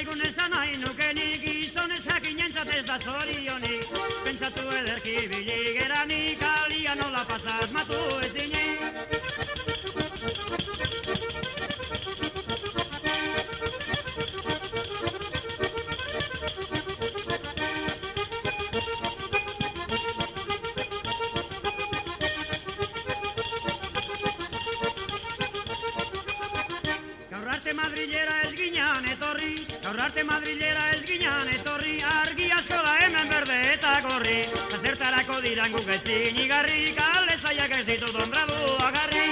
zaigun esan nahi nukenik, gizonez jakinentzat ez da zorionik. Pentsatu ederki biligeranik, alia nola pasa asmatu ezinik. Gaur arte Madrilera ez ginean etorri, argi asko da hemen berde eta gorri. Zertarako diran guk ezin igarri, kale zaiak ez ditut ondradu agarri.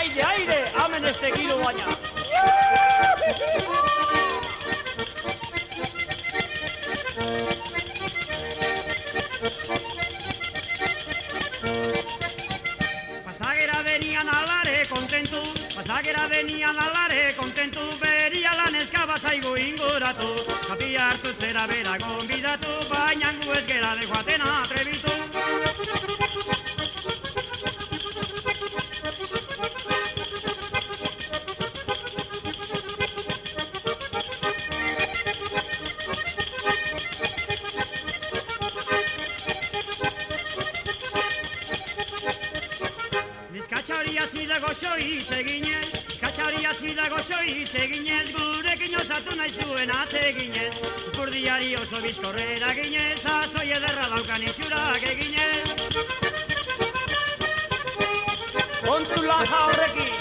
Aire, aire, amen este kilo baina. Pasagera venian alare kontentu, beria lan eskaba zaigu inguratu. Kapia hartu zera bera gonbidatu, baina gu ez gera de joaten atrebitu. Zida goxoi zeginez, gurekin osatu nahi zuen atzeginez. Ipurdiari oso bizkorrera ginez, azoi ederra daukan itxurak eginez. Kontu laja horrekin!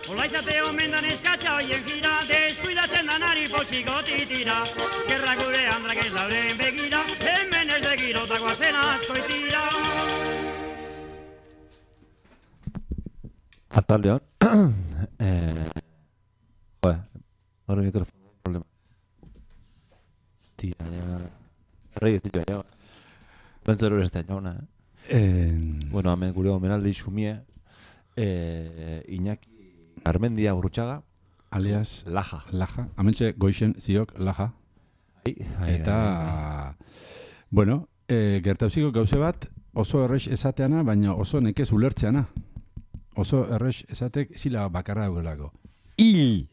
Olaizate omendan eskatxa hoien gira, deskuidatzen danari poltsikotik tira. Eskerra gure handrak ez dauren begira, hemen ez begirotako azen askoitira. Ataldeon, hori mikrofon problema. Tia, rei ez ditu aia. Bentzero ez da jauna, Bueno, hemen gure omenaldi xumie, Iñaki Armendia Urrutxaga, alias Laja. Hementxe goixen ziok Laja. Eta, bueno, gertauziko gauze bat oso errex esateana, baina oso nekez ulertzeana. Oso errex esatek zila bakarra dagoelako. Il!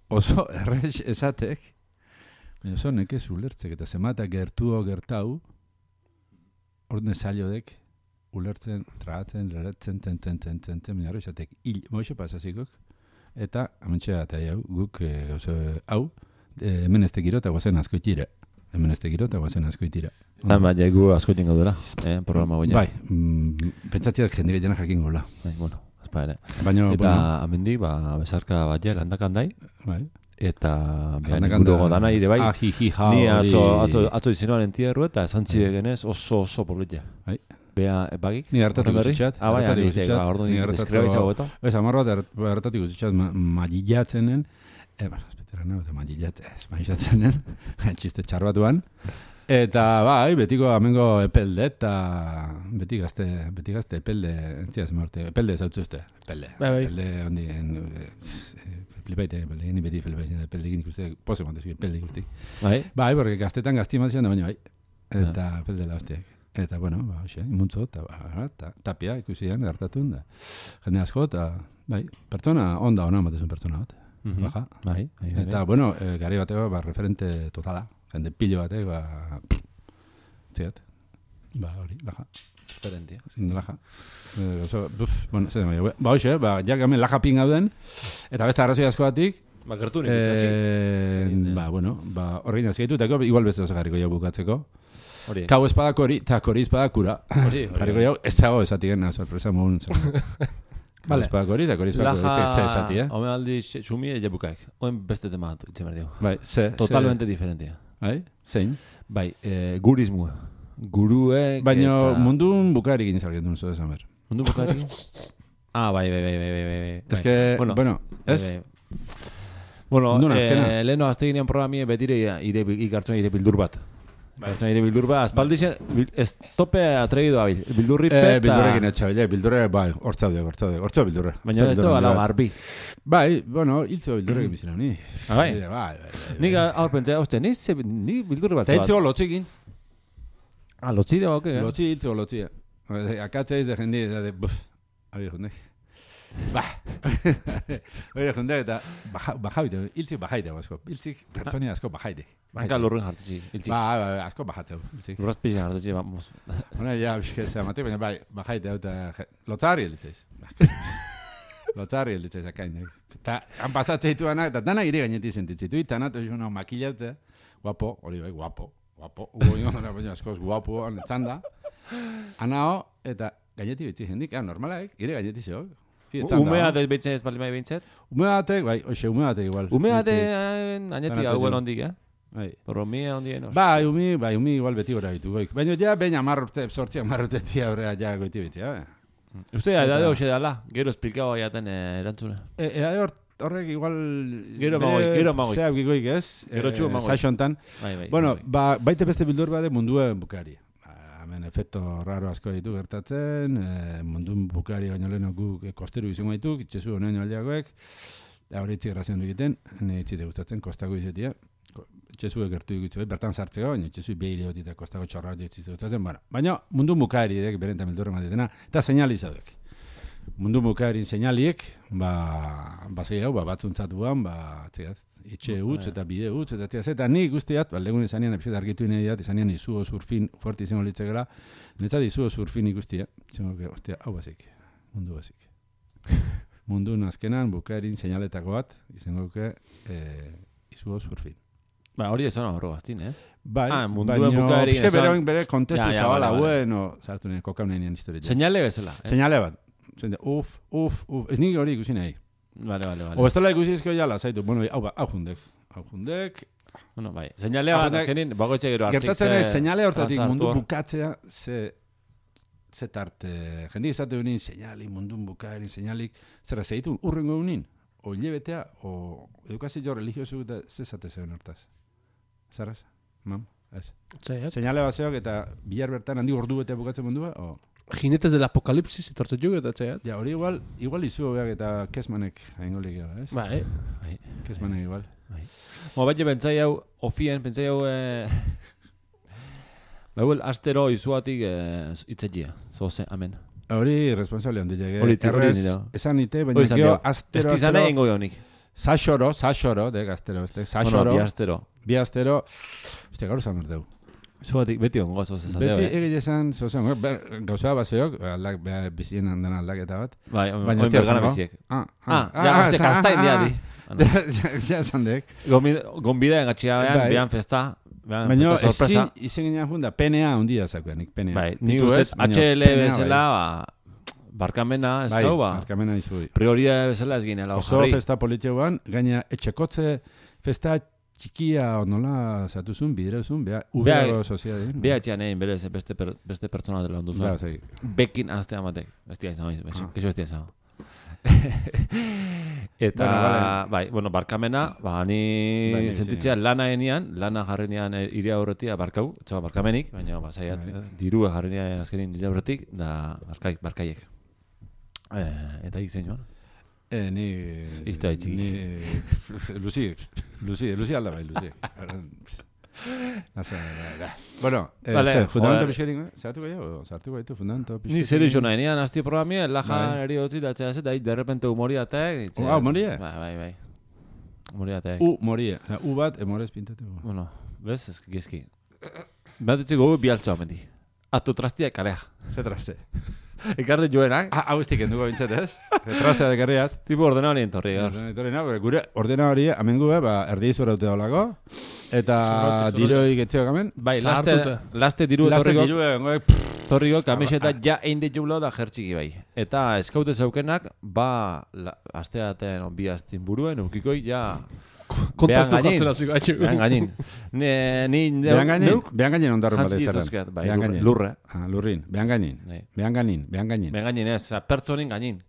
Oso errex esatek, baina oso nekez ulertzek, eta zemata gertau, ordene zailodek, ulertzen, tragatzen, leretzen, baina hori esatek, moixo pasazikok, eta amentxe eta guk gauze hau, hemen ez tekiro eta guazen askoitira. Zan bat jaigu askoitin gaudela, programa goina. Bai, pentsatziak jende gehiena jakin gaula. Bueno, azpa ere. Baina, eta amendi, besarka bat jel handakandai, bai. Eta gure godana ire bai, ni atzo izinoan entierru eta esantzide genez oso politia. Bea, bagik? Ni hartatik guztitxat. Bai, ordu ni deskreba itxago eta. Ez, amar bat hartatik guztitxat magillatzenen, magillatzenen, txiste txar batuan. Eta bai, betiko amengo epelde eta beti gazte epelde, entziaz morte, epelde zautzuzte, epelde hondi, flipaite, ni beti flipaite, epelde ikuste, pose montezki, epelde ikusti. Bai, porque gaztetan gazti ematizian da baina bai, eta epelde la hostiak. Eta, bueno, hoxe, imuntzo, eta tapia ikusian, hartatun da. Jende asko, eta, bai, pertsona, onda hona matezun pertsona bat. Baja. Bai. Eta, bueno, gari bateko, referente totala. Jende pillo batek, ziat. Hori, Laja. Referentia. Laja. Bueno, hoxe, jak hemen Laja pingauden, eta beste arrazoi asko batik, gertunik itzatxik. Bueno, horrein azkaitu, eta igual beste oso jarriko jau bukatzeko. Kau espada kori, eta kori espada kura. Jarriko jau, ez dago esatigen, sorpresa mohun. Kau espada kori, eta kori espada kori, ze esati, Home aldi xumie jabukaik. Oen beste tema bat, itxe merdio. Bai, ze. Totalmente diferentia. Bai, zein? Bai, gurismua. Guruek... Baina mundun bukarik inizargen duen zo desan ber. Mundun bukarik? Bai. Ez que, bueno, ez? Bueno, leheno azte ginean programie betire ikartzen ire bildur bat. Pertsona ide bildur ba, aspaldixen, ez tope atregido abil. Bildurri peta... Bildurrekin etxabile, bildurre, bai, hortza bildurre. Baina ez to ala garbi. Bai, bueno, hiltzo bildurrekin bizina, ni. Bai. Nik aur pentsea, oste, ni bildurre bat. Eta hiltzo lotzikin. Lotzi da, oke. Lotzi, hiltzo lotzi. Akatzeiz de jendi, ari jundek. Oire jundek eta bajaute, hiltzik bajaite asko. Hiltzik pertsoni asko bajaite. Banka lurren jartzi, hiltzik. Asko bajatzeu. Lurrazpizien jartzi, vamos. Hona, ja, bizketza mate, baina bai, bajaite hau eta lotzari hilditzeiz. Lotzari hilditzeiz akain. Eta han pasatzeitu anak, eta dana ire gaineti sentitzitu. Eta anatu esuna makillaute, guapo, hori bai, guapo. Ugo ingo, baina askoz guapo, anetzanda. Anao, eta gaineti bitzi jendik, normalaek, ire gaineti zeok. Umeatek behitzen ez balimai behintzet? Umeatek, bai, oxe, umeatek igual. Umeatek añetik hauen ondik, Porromia ondien, Bai, umi igual beti gora ditu goik. Baina ja, baina sortziak marrutetia horrea ja goiti beti, Uste da, edade hoxe dala, gero esplikau aiaten erantzuna. Edade horrek igual... Gero magoik. Zeak goik ez, gero txu magoik. Saixontan. Bueno, baite beste bildur bade munduen bukari. Hemen efekto raro asko ditu gertatzen, mundun bukari baino leheno guk kosteru izango dituk, itxezu honen aldeagoek, hori itzik errazen du egiten, itzite gustatzen, kostako izetia, itxezu gertu dikutzu, bertan sartzeko, baina itxezu behire hoti eta kostako txorra hoti itzite gustatzen, baina mundun bukari edek, berenta mildurre matitena, eta seinalizaduk. Mundu bukaerin seinaliek, zei hau, batzuntzatuan, itxe utz eta bide utz, eta ni guztiat, legun izanean, epizet argitu inean, izanean izuo surfin, fuerte izango litzekela, netzat izuo surfin ikustia, izango, ostia, hau bazik, mundu bazik. Mundu nazkenan, bukaerin seinaletako bat, izango, izuo surfin. Hori ez hona horro baztin, ez? Bai, munduen bukaerin... Baina, bere kontestu zabala, bueno, zartu nien, kokaunean historia. Señale bezala. Señale bat. Uf, ez nik hori ikusi nahi. Vale. O ez tala ikusi ezko jala, zaitu, bueno, hau jundek. Bueno, bai, señale bat, azkenin, bagoetxe gero hartzik. Gertatzen ez, señale hortatik mundu bukatzea, ze tarte, jendik izate unin, señali, mundun bukaerin, señalik, zerra zeitu, urrengo unin, o hilebetea, o edukazio religiosu eta zezate zeuen hortaz. Zerraz? Mam? Ez. Señale bat zeok eta bihar bertan handi ordu betea bukatzen mundua, o... Jinetes del apocalipsis etortzen jugu eta txaiat. Ja, hori igual izu beak eta kesmanek haingolik gara, ez? Bai. Kesmanek igual. Baina pentsai hau, ofien, pentsai hau... Bauel, astero izuatik itzetia, zoze, amen. Hori responsable handi llege. Hori nire. Esan ite, baina geho astero... Ez tizane ingo honik. Saxoro, dek astero, saxoro. Bi astero. Ostia, gaur zan erdeu. Zuatik beti ongo zoz esan. Beti egile esan zoz esan. Gauza bazeok, bizien handan aldaketa bat. Bai, oin bergana biziek. Ostia, kastain diadi. Zia esan dek. Gonbida engatxia behan festa. Baina izin ginen junda, PNA ondia zakuanik, PNA. Bai, ni ustez, HL bezala, barkamena, eskau ba. Barkamena izui. Prioria bezala ez ginela. Oso festa politioan, gaina etxekotze festa txikia nola zatuzun, bidereuzun, ubeago soziadeen. Bea etxean egin berez, beste pertsona dela onduzua. Bekin azte amatek. Bestia izan, eso bestia izan. Eta, bai, bueno, barkamena, ni sentitzea lana enian, lana jarrenean iria horretia barkau, txaba barkamenik, baina zaiat, dirua jarrenean azkenin iria horretik, da barkaiek. Eta ikzen joan. Ni... Izte baitziki. Luzi alda bai, Luzi. Bueno, fundamento pixkerin, zartuko gaitu fundamento pixkerin. Ni zer iso nahi, nian azti programia, lajan eri hotzi da txea zeta, de repente humoriatek. Humorie? Bai. Humoriatek. Humorie. U bat, emorez pintateko. Bueno, bez, ez gizki. Bat etxeko bialtzoa mendi. Atu trastia kalea. Ze traste? Ekarri joenak. Hau estik enduko bintzat, ez? Trastea dekarriat. Tipo ordenari entorri, gaur. Gure ordenari, amengu, erdi izura dute daulako. Eta diroi getzeo gamen. Bai, laste diru torriko kamiseta ja einde jublo da jertxiki bai. Eta eskaute zaukenak, asteaten bi astin buruen, ukikoi ja... Kontaktu jartzen aziko atxu. Behan gainin. Behan gainin ondarren bat ezaren. Lurre. Lurrin. Behan gainin. Behan gainin ez, pertsonin gainin.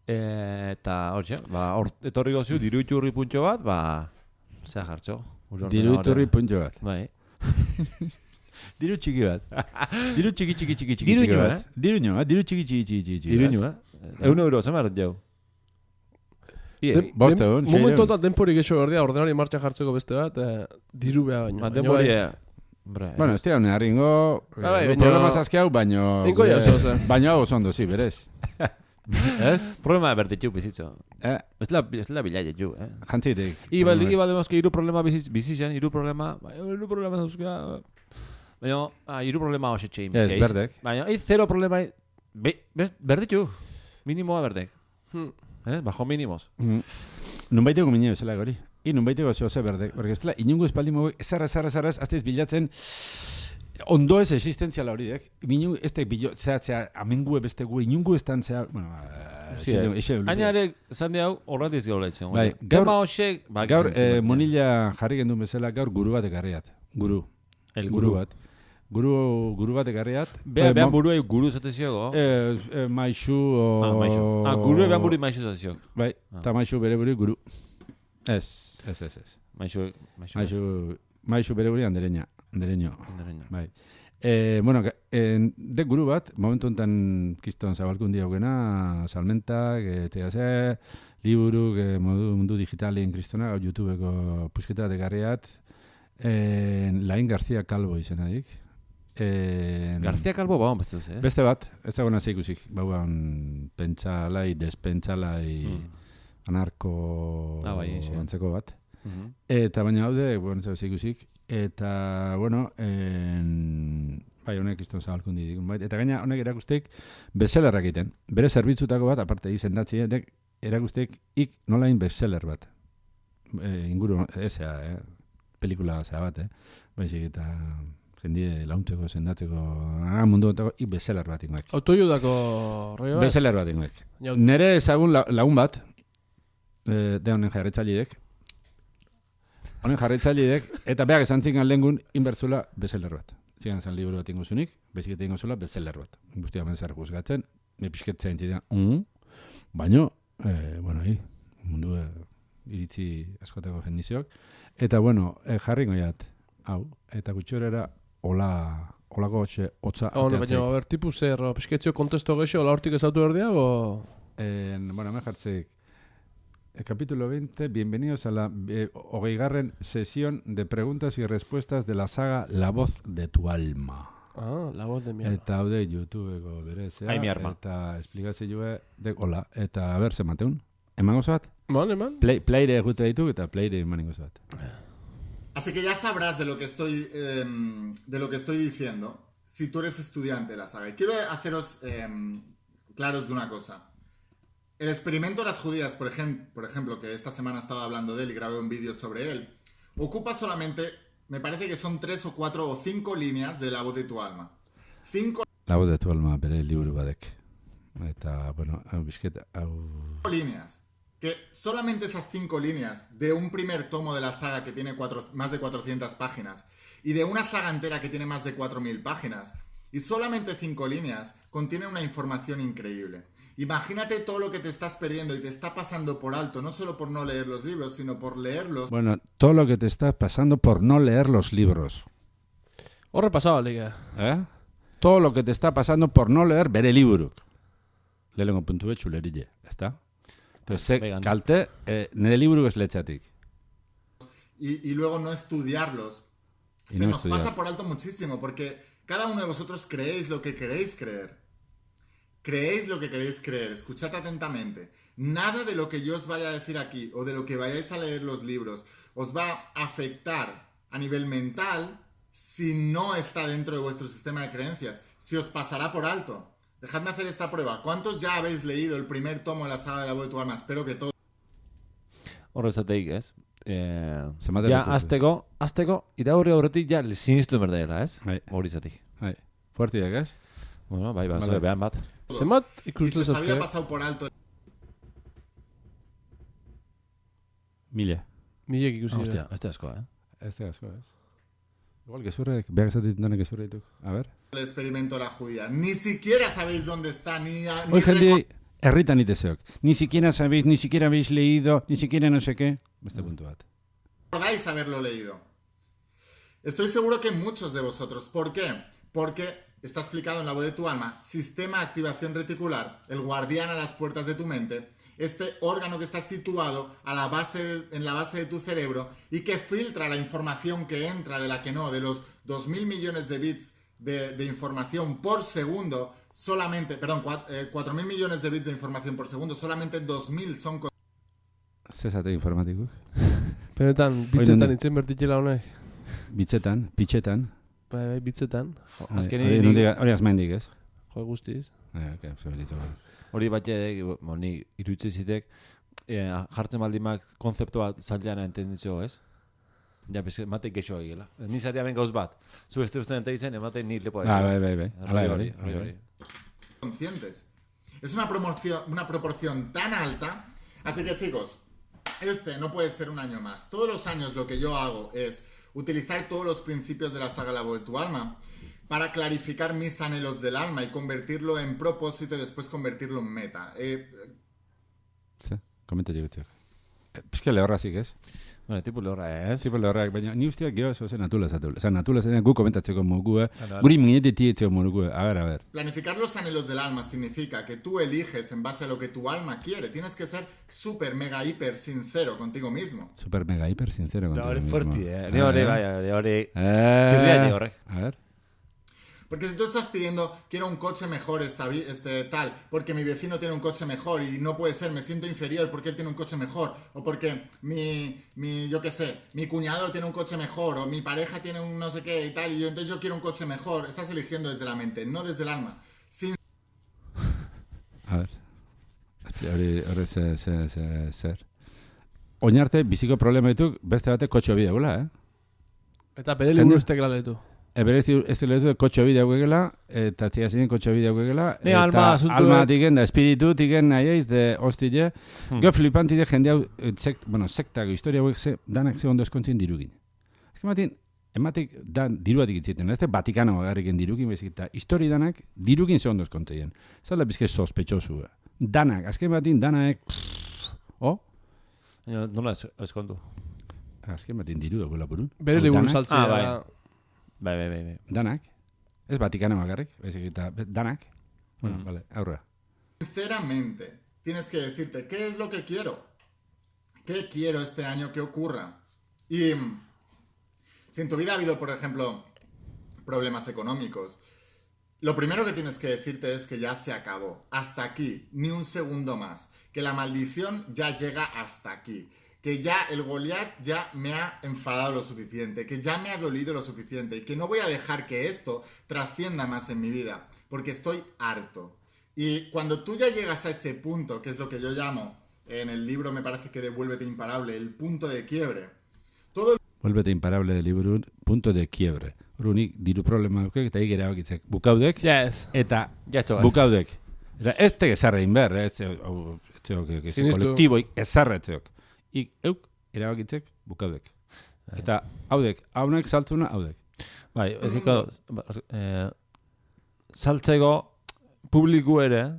Eta hor etorri goziu, diruiturri puntxo bat, zea jartxo. Diruiturri puntxo bat. Bai. Diru txiki bat. Diru txiki Diruño, bat. Diru txiki. Diruño, €1, zemar jau. Bost egun. Momentotan denporik eixo berdia, ordenari martxan jartzeko beste bat, diru beha baino. Denpori... Bueno, ez tira, harringo problema zazkiau, baino oso ondo, zi, berez. Ez? Problema bertitxu bizitzo. Ez la bilaia ju, Jantzitik. Iba demozke iru problema bizitzen, iru problema zauzka... Baina, iru problema hoxe txein. Ez, berdek. Baina, zero problema... Berditxu. Minimoa berdek. Bajo minimos. Nun baiteko mine bezala gori. Nun baiteko zehose berdek. Porque ez dela, inungo espaldi moguek, ezarra, azteiz bilatzen... Ondo ez existentziala hori, Minungu, ez da, zea, amengue beste gu, inungu ez tan zea... Bueno, Ainarek, zande hau, horratiz gaur lehitzen. Gaur, monila jarri gendun bezala, gaur guru bat ekarriat. Guru bat. Guru bat ekarriat. Behan buruei guru zateziogo? Maixu... Guru behan buru maixu zateziogo. Bai, eta maixu bere buru guru. Ez. Maixu bere buru andereño. Bai. Bueno, de guru bat, momentu enten kiston zabalkundi haugena, salmentak, tegase, liburuk, mundu digitalien kristona, YouTubeko pusketa degarriat, Lain García Calvo izenadik. García Calvo bauan beste duz, Beste bat, ez dagoena zeikusik, bauan pentsalai, despentsalai, anarko antzeko bat. Eta baina haude, zeikusik, eta, bueno, bai, honek izton zabalkundi digun, bai. Eta gaina honek erakustek bestsellerrak egiten. Bere zerbitzutako bat, aparte izendatzi, erakustek nolain bestseller bat. Inguru, ezea, pelikula zea bat, baizik eta jendie launtzeko, sendatzeko, mundu otako, bestseller bat ingoek. Autoiudako rollo bat? Bestseller bat ingoek. Nere ezagun lagun bat, de honen jarretzailidek, eta behar esan zingan lehengun inbertzula bestseller bat. Zigan zan liburu bat ingozunik, bezik eta ingozula bestseller bat. Guztia zer juzgatzen, me pisketzen zidean, baino, bueno, mundu iritzi askotako jendiziok. Eta, bueno, jarri goiat, hau, eta gutxorera olako hotza ateatzei. Baina, ber, tipu zer, pisketzio kontesto gexo, hola hortik ezautu erdia, o? Bueno, me jartzeik. Capítulo 20, bienvenidos a la 20ª sesión de preguntas y respuestas de la saga La voz de tu alma. La voz de mi alma. Eta haude YouTubeko berezea. Ai, mi arma. Eta esplikazioa hola. Eta a ver, se mateun. Eman gozo bat? Eman. Playre jute dituk eta playre eman gozo bat. Así que ya sabrás de lo que estoy diciendo si tú eres estudiante de la saga. Y quiero haceros claros de una cosa. El experimento de las judías, por ejemplo, que esta semana he estado hablando de él y grabé un vídeo sobre él, ocupa solamente, me parece que son 3 o 4 o 5 líneas de La voz de tu alma. 5 La voz de tu alma, bere liburu badek. Eta, bueno, líneas. Que solamente esas 5 líneas de un primer tomo de la saga que tiene más de 400 páginas y de una saga entera que tiene más de 4.000 páginas y solamente 5 líneas contienen una información increíble. Imagínate todo lo que te estás perdiendo y te está pasando por alto, no solo por no leer los libros, sino por leerlos. Bueno, todo lo que te está pasando por no leer los libros. Horre pasaba, liga. Todo lo que te está pasando por no leer bere liburuk. Lehenengo puntu txulerille, ezta? Entonces, kalte, nire liburuk ez letxatik. Y luego no estudiarlos. Se nos pasa por alto muchísimo, porque cada uno de vosotros creéis lo que queréis creer. Creéis lo que queréis creer, escuchad atentamente. Nada de lo que yo os vaya a decir aquí o de lo que vayáis a leer los libros os va a afectar a nivel mental si no está dentro de vuestro sistema de creencias. Si os pasará por alto. Dejadme hacer esta prueba. ¿Cuántos ya habéis leído el primer tomo de la saga de La voz de tu alma? Espero que todos. Horrezateik, ez? Ja, azteko, iraurri horretik ja sinistu berdela, ez? Horizatik. Fuertiak, ez? Bueno, bai, behan bat. Zemat y ikusten se os había zazke. pasado por alto. Mila. Milek ikusi. Hostia, este asko, Este asko, ez? Igual gezurrek, behar esatit danek gezurre dituk. A ver. El experimento de la judía. Ni siquiera sabéis dónde está, Hoy gente herritan iteseok. Ni siquiera sabéis, ni siquiera habéis leído, ni siquiera no sé qué. Beste puntu bat. Recordáis haberlo leído. Estoy seguro que muchos de vosotros. ¿Por qué? Porque está explicado en La voz de tu alma, sistema de activación reticular, el guardián a las puertas de tu mente, este órgano que está situado en la base de tu cerebro y que filtra la información que entra de la que no, de los 2.000 millones de bits de información por segundo, solamente, 4.000 millones de bits de información por segundo, solamente 2.000 son... Zezate informatikuk. Benetan, bitzetan itzen bertitela honek. Bitzetan, pitxetan. Bai, bitzetan. Hori azmaindik, ez? Jo, guztiz. Hori batxe, ni irutze zitek, jartzen baldimak konzeptu bat zailean entenditzeo, ez? Ja, mate gexo egela. Ni zatea ben gauz bat. Zu este usten enteitzen, emate ni lepo egela. Bai. Hori. Conscientes. Es una proporción tan alta. Así que, chicos, no puede ser un año más. Todos los años lo que yo hago es utilizar todos los principios de la saga La voz de tu alma para clarificar mis anhelos del alma y convertirlo en propósito y después convertirlo en meta. Sí, komenta digutek. Pizke lehorrazik, ez? Bueno, tipo lehorra, ez? Tipo lehorrak, baina ni usteak gero zen natula zatula. Osa, natula zen gu komentatzeko mogu, guri mingetetik etzeko mogu. A ver. Planificar los anhelos del alma significa que tú eliges en base a lo que tu alma quiere. Tienes que ser súper, mega, hiper sincero contigo mismo. Súper, mega, hiper sincero contigo mismo. Fuerte, Ni hori. Chirria horrek. A ver. Porque si tú estás pidiendo, quiero un coche mejor, tal, porque mi vecino tiene un coche mejor y no puede ser, me siento inferior porque él tiene un coche mejor, o porque mi cuñado tiene un coche mejor, o mi pareja tiene un no sé qué y tal, y entonces yo quiero un coche mejor. Estás eligiendo desde la mente, no desde el alma. A ver. Hori zer. Oinarte, biziko problema dituk, beste bate kotxo bidea, Eta bere liburu ustek laletu. Bere ez lehetu kotxo bidea guegela, eta txia zinen kotxo bidea guegela, eta alma tiken da, espiritu tiken nahi eiz, de hostile, gero flipantide jende hau, sektako historia guek danak ze ondo eskontzien dirugin. Ematik diruatik itziten, ez Vatikano agarriken dirukin, bezik, eta histori danak dirukin ze ondo eskontzien. Ez da bizke sospetxosu. Danak, azken batin danak, Nola eskondu? Azken batin diru dagoela burun. Bere liburu saltzea. Bai. Danak. Ez Vatikano agarrik, bezik, eta danak. Bueno, vale, aurra. Sinceramente, tienes que decirte, ¿qué es lo que quiero? ¿Qué quiero este año que ocurra? Y si en tu vida ha habido, por ejemplo, problemas económicos, lo primero que tienes que decirte es que ya se acabó. Hasta aquí, ni un segundo más. Que la maldición ya llega hasta aquí. Que ya el Goliat ya me ha enfadado lo suficiente. Que ya me ha dolido lo suficiente. Y que no voy a dejar que esto trascienda más en mi vida. Porque estoy harto. Y cuando tú ya llegas a ese punto, que es lo que yo llamo, en el libro me parece que de Vuélvete Imparable, el punto de quiebre. Vuélvete Imparable del libro, punto de quiebre. Runik diru problema dukek, eta egera bakitzek bukaudek, eta bukaudek. Eta ez teke zarrein behar, ez kolektiboik ez zarretzeok. Euk, erabakitzek bukaudek. Eta haudek, haunek saltzuna, haudek. Bai, ez giko, saltzeko publiku ere,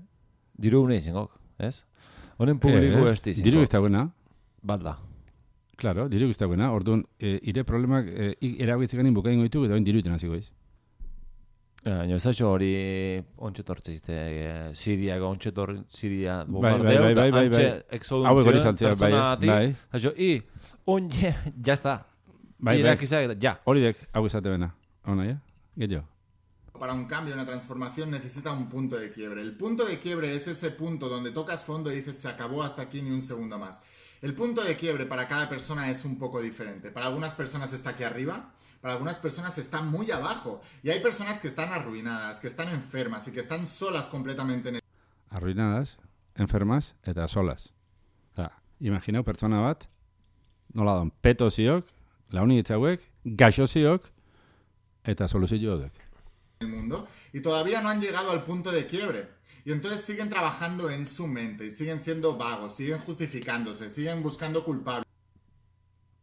diru gune izengok, ez? Honen publiku ez dizengok. Diru iztaguena. Bat da. Claro, diru iztaguena. Orduan, ire problemak erabakitzek ganin bukain goitu, eta diru iten hasiko iz. Ezatxo hori ontsetortze izte, Siriako ontsetor, Siria bombardeo, eta antxe exoduntzio, personatik. Ezatxo, onye, jazta. Irakizak, ja. Hori dek, hau izate bena. Ona, ja? Gehiago. Para un cambio, una transformación, necesita un punto de quiebre. El punto de quiebre es ese punto donde tocas fondo y dices, se acabó hasta aquí, ni un segundo más. El punto de quiebre para cada persona es un poco diferente. Para algunas personas está aquí arriba, para algunas personas está muy abajo. Y hay personas que están arruinadas, que están enfermas y que están solas completamente en el... Arruinadas, enfermas eta solas. Imagineu pertsona bat, nola don, peto ziok, launi etxauek, gaixo ziok, eta soluzio dek. El mundo, y todavía no han llegado al punto de quiebre. Y entonces siguen trabajando en su mente, y siguen siendo vagos, siguen justificándose, siguen buscando culpables.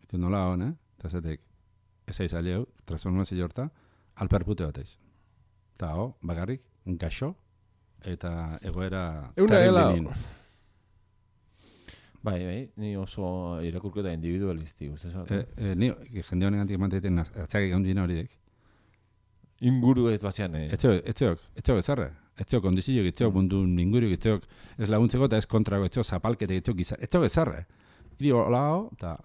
Eta nola hon, eta zetek, ez aiz aliau, transformazio horta, alperpute bat aiz. Eta bagarrik, gaixo, eta egoera... Euna gela. Bai, ni oso irakurketa individualisti, uste zo. Ni, jende honen gantik manteiten atzakik gaundien horiek. Inguru ez bazian, Etxeok ezarre. Etxeok kondizioak, etxeok mundun inguruk, etxeok ez laguntzeko eta ez kontrago, etxeok zapalkete, etxeok gizar. Etxeok ezarre. Iri holao, eta...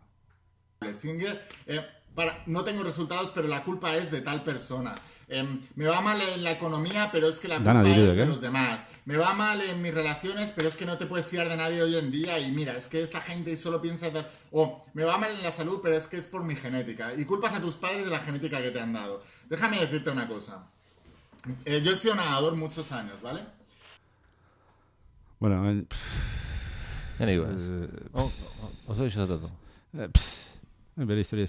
No tengo resultados, pero la culpa es de tal persona. Me va mal en la economía, pero es que la culpa es de los demás. Me va mal en mis relaciones, pero es que no te puedes fiar de nadie hoy en día. Y mira, es que esta gente solo piensa... me va mal en la salud, pero es que es por mi genética. Y culpas a tus padres de la genética que te han dado. Déjame decirte una cosa. Yo he sido nadador muchos años, ¿vale? Bueno, oso iso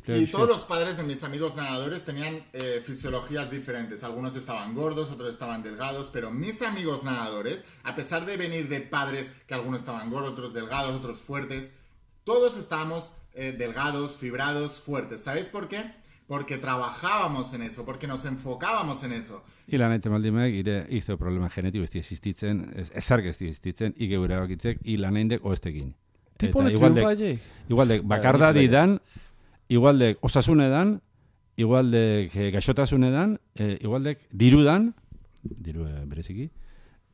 y todos los padres de mis amigos nadadores tenían fisiologías diferentes. Algunos estaban gordos, otros estaban delgados, pero mis amigos nadadores, a pesar de venir de padres que algunos estaban gordos, otros delgados, otros fuertes, todos estábamos delgados, fibrados, fuertes. ¿Sabéis por qué? Porque trabajábamos en eso, porque nos enfocábamos en eso. Ilan aite maldimek, ire izte problema genetiko ez existitzen, ezark ez existitzen, ike gure bakitzek, ilan aindek oestekin. Tipone triunfaiek. Igualdek bakardadi dan, igualdek osasunedan, igualdek gaixotasunedan, igualdek dirudan, diru bereziki,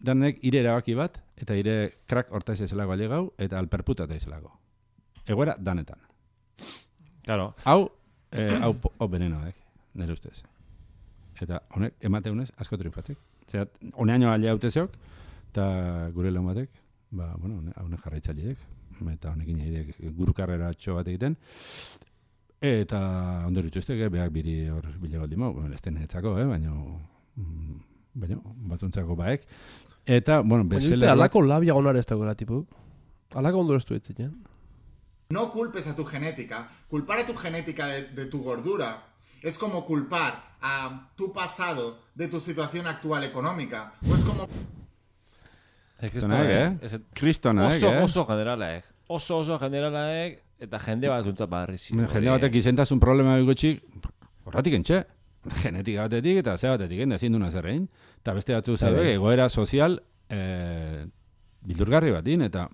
danek ire erabaki bat, eta ire krak hortaiz ezelago alegau, eta alperputa eta ezelago. Egoera danetan. Claro. Hau benenoak, nire ustez. Eta honek, emateunez, asko triunfatzek. Zer, honeaino alea hautezok, eta gure lan batek, honek jarraitzaliek, eta honekin egidek gurukarrera txo bat egiten, eta ondor itxuztek, behak biri hor bile baldi mau, ez denetzako, baina batzuntzako baek. Eta, bestseller... Alako labia gonar ez dagoela, tipu? Alako ondor ez du etzen, No culpes a tu genética. Culpar a tu genética de tu gordura es como culpar a tu pasado de tu situación actual económica. O es como... Oso generalaek. Oso generalaek, eta jende bat zuntzat barriz. Jende batek izentasun problema gutxik, horratik entxe. Genetika batetik eta ze batetik, ezin duna zerrein. Eta beste batzu zabe, egoera sozial bildurgarri batin, eta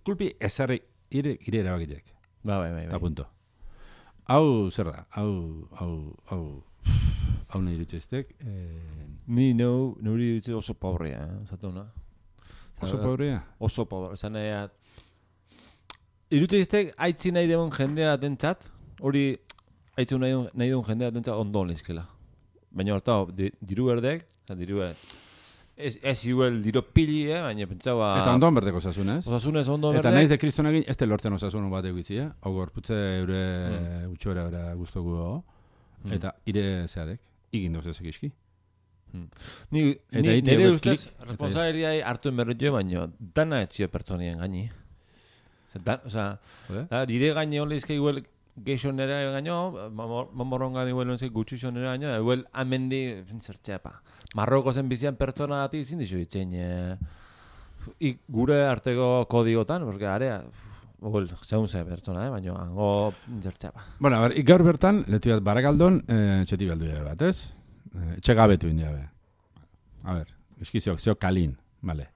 kulpi ezarri ire erabakitek. Bai. Eta punto. Hau zer da? Hau nahi irutxeztek. Ni nuri irutxe oso pobrea, zatuna. Oso pobrea? Oso pobrea. Zan nahi irutxeztek haitzi nahi deun jendea dentzat, hori haitzi nahi deun jendea dentzat ondo lehizkela. Baina horta, diru berdek, Ez igual diro pili, baina pentsaua... Eta ondon berdeko osasunez. Osasunez ondon berdek. Eta nahiz de kristonagin, ez lortzen osasun bat egitzi, Hau gorputze eure utxora eure guztoku dago. Eta ire zeadek, igin dozezek iski. Nire ustez, responsabiliai hartu enberretio, baina dana etxio pertsonien gaini. Dire gaini hon lehizke igual geixo nera gaino, mamorrongan igual gutxuxo nera gaino, igual amendi zertxepa. Marroko zen bizian pertsona gati izin dizu ditzen. Gure arteko kodigotan, porque area, zeun ze pertsona, baina hango zertxepa. Bueno, a ver, gaur bertan, letu bat barakaldon, txetik aldu bat, ez? Txegabetu india be. A ver, eskiziok, zeo kalin, vale.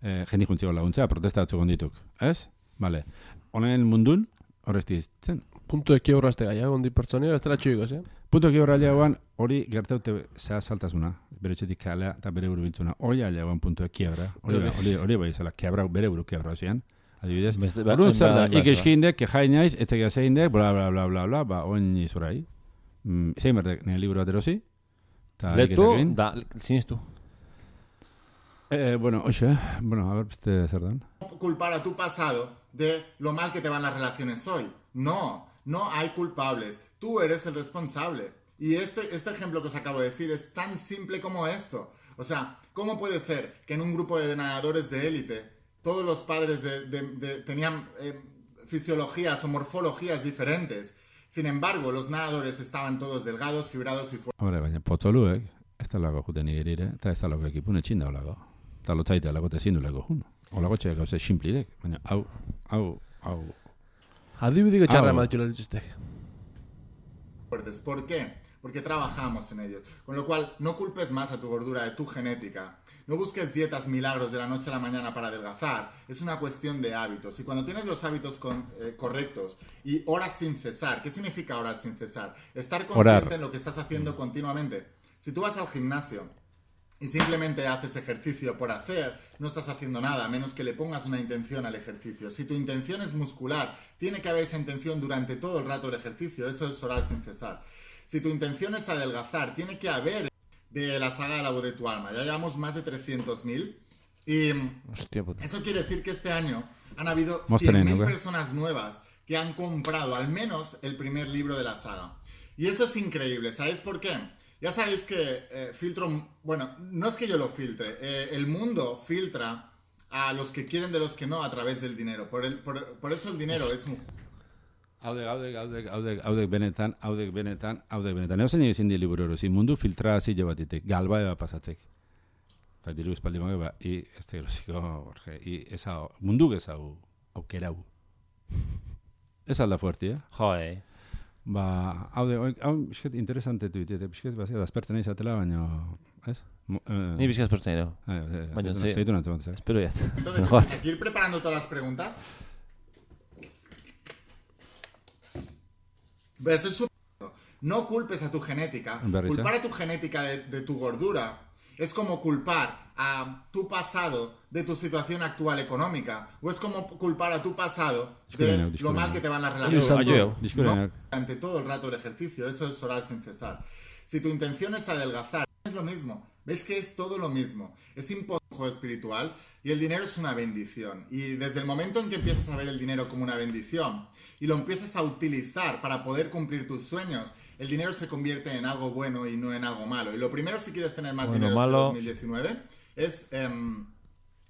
Jendik juntziko laguntzea, protesta batzu gondituk, ez? Vale. Honen mundun, horrezti izten. Punto de quiebra este gaia, gondi pertsonia, ez dela txuiko, Punto de quiebra aliagoan, hori gertaute saltasuna, bere txetik kalea eta bere buru biltzuna. Hori aliagoan punto de quiebra. Hori bai zela, bere buru quiebra ozean. Adibidez. Horun zer da, ikeski indek, kejai naiz, etzek zein dek, bla, bla, bla, bla, bla, ba, oin izurai. Zein berdek, nire liburu bat erosi. Letu, da, ziniztu. Bueno, a ver, beste zer dan. Culpar a tu pasado de lo mal que te van las relaciones hoy. No hay culpables. Tú eres el responsable. Y este ejemplo que os acabo de decir es tan simple como esto. O sea, ¿cómo puede ser que en un grupo de nadadores de élite todos los padres tenían fisiologías o morfologías diferentes? Sin embargo, los nadadores estaban todos delgados, fibrados y fuertes. Hombre, baina potzoluek, ez da lago juten igerire, eta ez da lago ekipun etxinda olago. Eta lotzaite lago tezindu lago jun. Olago txek gauze simplidek, baina hau. Adibidiko txarra ematxula dituztek. ¿Por qué? Porque trabajamos en ellos. Con lo cual, no culpes más a tu gordura de tu genética. No busques dietas milagros de la noche a la mañana para adelgazar. Es una cuestión de hábitos. Y cuando tienes los hábitos correctos y oras sin cesar, ¿qué significa orar sin cesar? Estar consciente en lo que estás haciendo continuamente. Si tú vas al gimnasio y simplemente haces ejercicio por hacer, no estás haciendo nada, a menos que le pongas una intención al ejercicio. Si tu intención es muscular, tiene que haber esa intención durante todo el rato del ejercicio. Eso es orar sin cesar. Si tu intención es adelgazar, tiene que haber de la saga de la voz de tu alma. Ya llevamos más de 300.000 y Hostia puta. eso quiere decir que este año han habido 100.000 personas nuevas que han comprado al menos el primer libro de la saga. Y eso es increíble. ¿Sabéis por qué? Ya sabéis que filtro... Bueno, no es que yo lo filtre. El mundo filtra a los que quieren de los que no a través del dinero. Por eso el dinero es un... Haudek benetan. Eusen egin di liburu hori, mundu filtrazio batitek, galba eba pasatzek. Eta diru espaldi mago, i ez da erosiko, Jorge, i eza mundu gezau aukerau. Ez alda fuerti, Joe. Hau bisket interesante tuit, eta bisket azperten izatela, baina, ez? Ni bizkaz pertzen edo. Baina, sí. Zeitu nantzen batzak. Espero ya. Entonces, hay que ir preparando todas las preguntas. Pero esto es súper... No culpes a tu genética. Culpar a tu genética de tu gordura es como culpar a tu pasado de tu situación actual económica. O es como culpar a tu pasado de lo mal que te van las relaciones. No, durante todo el rato del ejercicio. Eso es orar sin cesar. Si tu intención es adelgazar, es lo mismo. ¿Ves que es todo lo mismo? Es imponer espiritual y el dinero es una bendición. Y desde el momento en que empiezas a ver el dinero como una bendición y lo empiezas a utilizar para poder cumplir tus sueños, el dinero se convierte en algo bueno y no en algo malo. Y lo primero, si quieres tener más dinero este 2019, es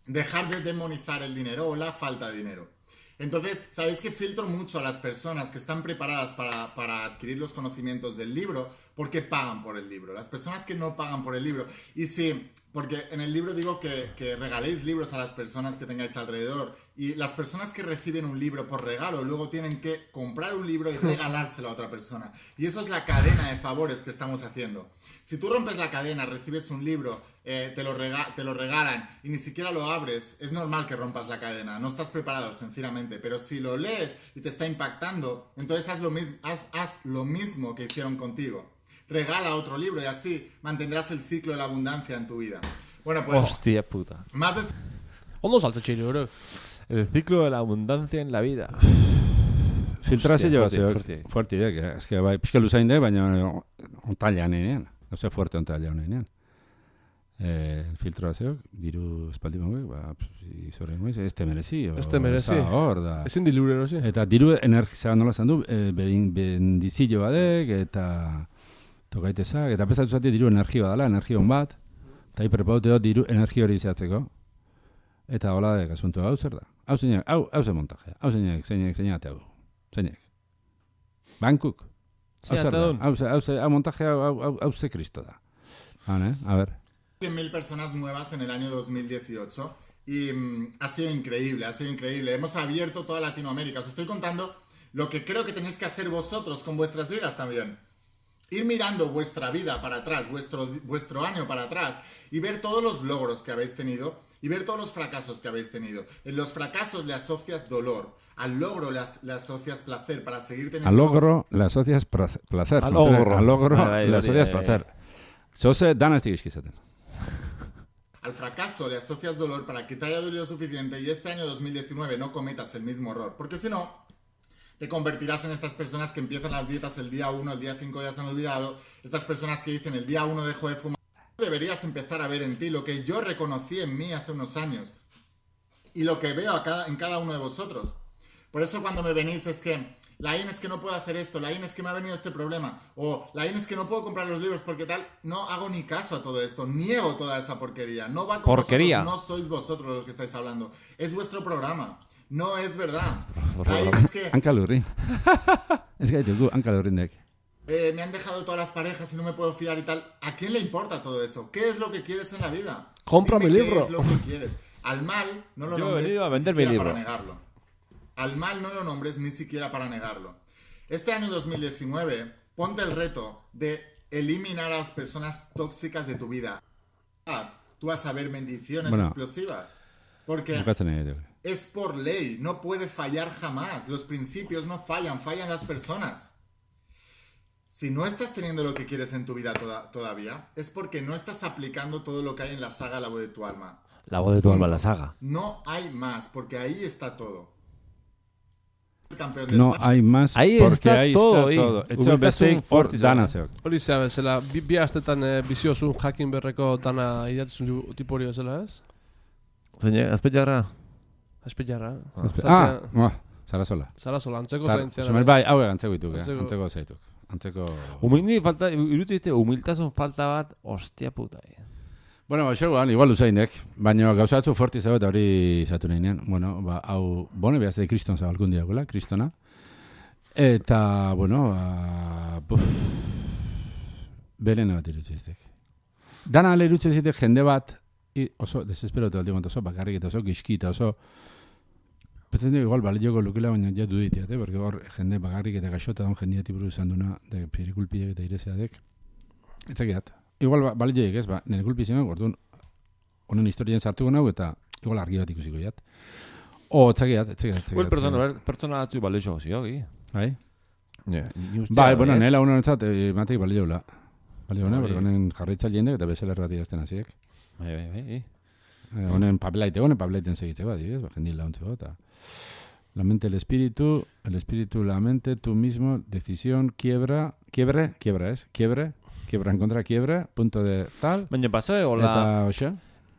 dejar de demonizar el dinero o la falta de dinero. Entonces, sabéis que filtro mucho a las personas que están preparadas para adquirir los conocimientos del libro porque pagan por el libro. Las personas que no pagan por el libro. Y sí, porque en el libro digo que regaléis libros a las personas que tengáis alrededor. Y las personas que reciben un libro por regalo luego tienen que comprar un libro y regalárselo a otra persona. Y eso es la cadena de favores que estamos haciendo. Si tú rompes la cadena, recibes un libro, te lo regalan y ni siquiera lo abres, es normal que rompas la cadena. No estás preparado, sencillamente. Pero si lo lees y te está impactando, entonces haz lo mismo que hicieron contigo. Regala otro libro y así mantendrás el ciclo de la abundancia en tu vida. Bueno, pues... Hostia puta. Más de... Ondo saltzaile, bro. El ciclo de la abundancia en la vida. Filtrazio bat, fuerte, es que bai, pixka luzain de, baina ontailean enean. Oze, fuerte ontailean enean. Filtrazio, diru espaldi magoek, izorren goiz, ez te merezi. Hor da. Ezin di liburu erosi. Eta diru energizea nola zandu, bendizillo badek, eta tokaitezak, eta bezatu zati diru energia badala, energia hon bat, eta hiperpaute dut diru energia hori izatzeko. Eta hola de asunto hau zer da. Hau ze montajea. Hau zeinek hau. Zeinek. Bankuk. Hau montajea hau ze Cristo da. Vale, a ver. 100.000 personas nuevas en el año 2018 y ha sido increíble. Hemos abierto toda Latinoamérica. Os estoy contando lo que creo que tenéis que hacer vosotros con vuestras vidas también. Ir mirando vuestra vida para atrás, vuestro año para atrás y ver todos los logros que habéis tenido y ver todos los fracasos que habéis tenido. En los fracasos le asocias dolor, al logro le asocias placer para seguir teniendo... Al logro le asocias placer. Al logro le asocias placer. Zose danaztik izkizaten. Al fracaso le asocias dolor para que te haya dolido suficiente y este año 2019 no cometas el mismo error. Porque si no, te convertirás en estas personas que empiezan las dietas el día 1, el día 5 ya se han olvidado. Estas personas que dicen el día 1 dejo de fumar. Deberías empezar a ver en ti lo que yo reconocí en mí hace unos años. Y lo que veo en cada uno de vosotros. Por eso cuando me venís es que... Laín, es que no puedo hacer esto, Laín, es que me ha venido este problema, o Laín, es que no puedo comprar los libros porque tal, no hago ni caso a todo esto, niego toda esa porquería, no va con vosotros, no sois vosotros los que estáis hablando, es vuestro programa, no es verdad. Laín, es que... Hankalurrin. Es que yo hankalurrin dek. Me han dejado todas las parejas y no me puedo fiar y tal. ¿A quién le importa todo eso? ¿Qué es lo que quieres en la vida? Cómprame el libro. ¿Qué es lo que quieres? Al mal no lo nombres he venido a vender mi libro. Para negarlo. Al mal no lo nombres ni siquiera para negarlo. Este año 2019, ponte el reto de eliminar a las personas tóxicas de tu vida. tú vas a ver bendiciones explosivas. Porque es por ley, no puede fallar jamás. Los principios no fallan, fallan las personas. Si no estás teniendo lo que quieres en tu vida todavía, es porque no estás aplicando todo lo que hay en la saga La voz de tu alma. La voz de tu alma, la saga. No hay más, porque ahí está todo. No hay más, porque ahí está todo. Etxe beste hor dana zeok. Hori zea bezala, bi astetan biziozun jakin berreko dana idatzen tipo hori bezala, ez? Zeine, azpetxarra? Azpetxarra. Zarazola. Zarazola, antzeko zaintzera. Somer bai, hau antzeko dituk, antzeko zaituk. Irutizte humiltasun falta bat, ostia puta. Bueno, igual usainek, baina gauza batzu forti zau eta hori zatu nahinean. Bueno, hau, bone behazte kriston zabalkun diagoela, kristona. Eta, bueno, berene bat irutxiztek. Dana ale irutxiztek jende bat, oso desesperotu aldi oso bakarrik eta oso gizki eta oso... Petzen dugu igual balioko lukela, baina ja duditiate, porque hor jende bakarrik eta gaixota daun jendiati buruz izan duna, de perikulpiek eta irezeadek. Etzakiat. Igual balioik ez, nire kulpizioak, orduan, honen historien sartuko nahu eta igual argi bat ikusiko jat. Etzakiat. Pertsona atzu balioiko ziogi. Bai? Bai, bueno, nela honenetzat, matei baliola. Baliola, porque honen jarritza jendek eta bezelar bat idazten hasiek. Bai. Honen papelaiten segitzeko, adibidez, jendil launtzeko, eta... La mente, el espíritu, la mente, tú mismo, decisión, quiebre en contra, quiebre, punto de tal... Baina pasó, hola... Eta, oxe?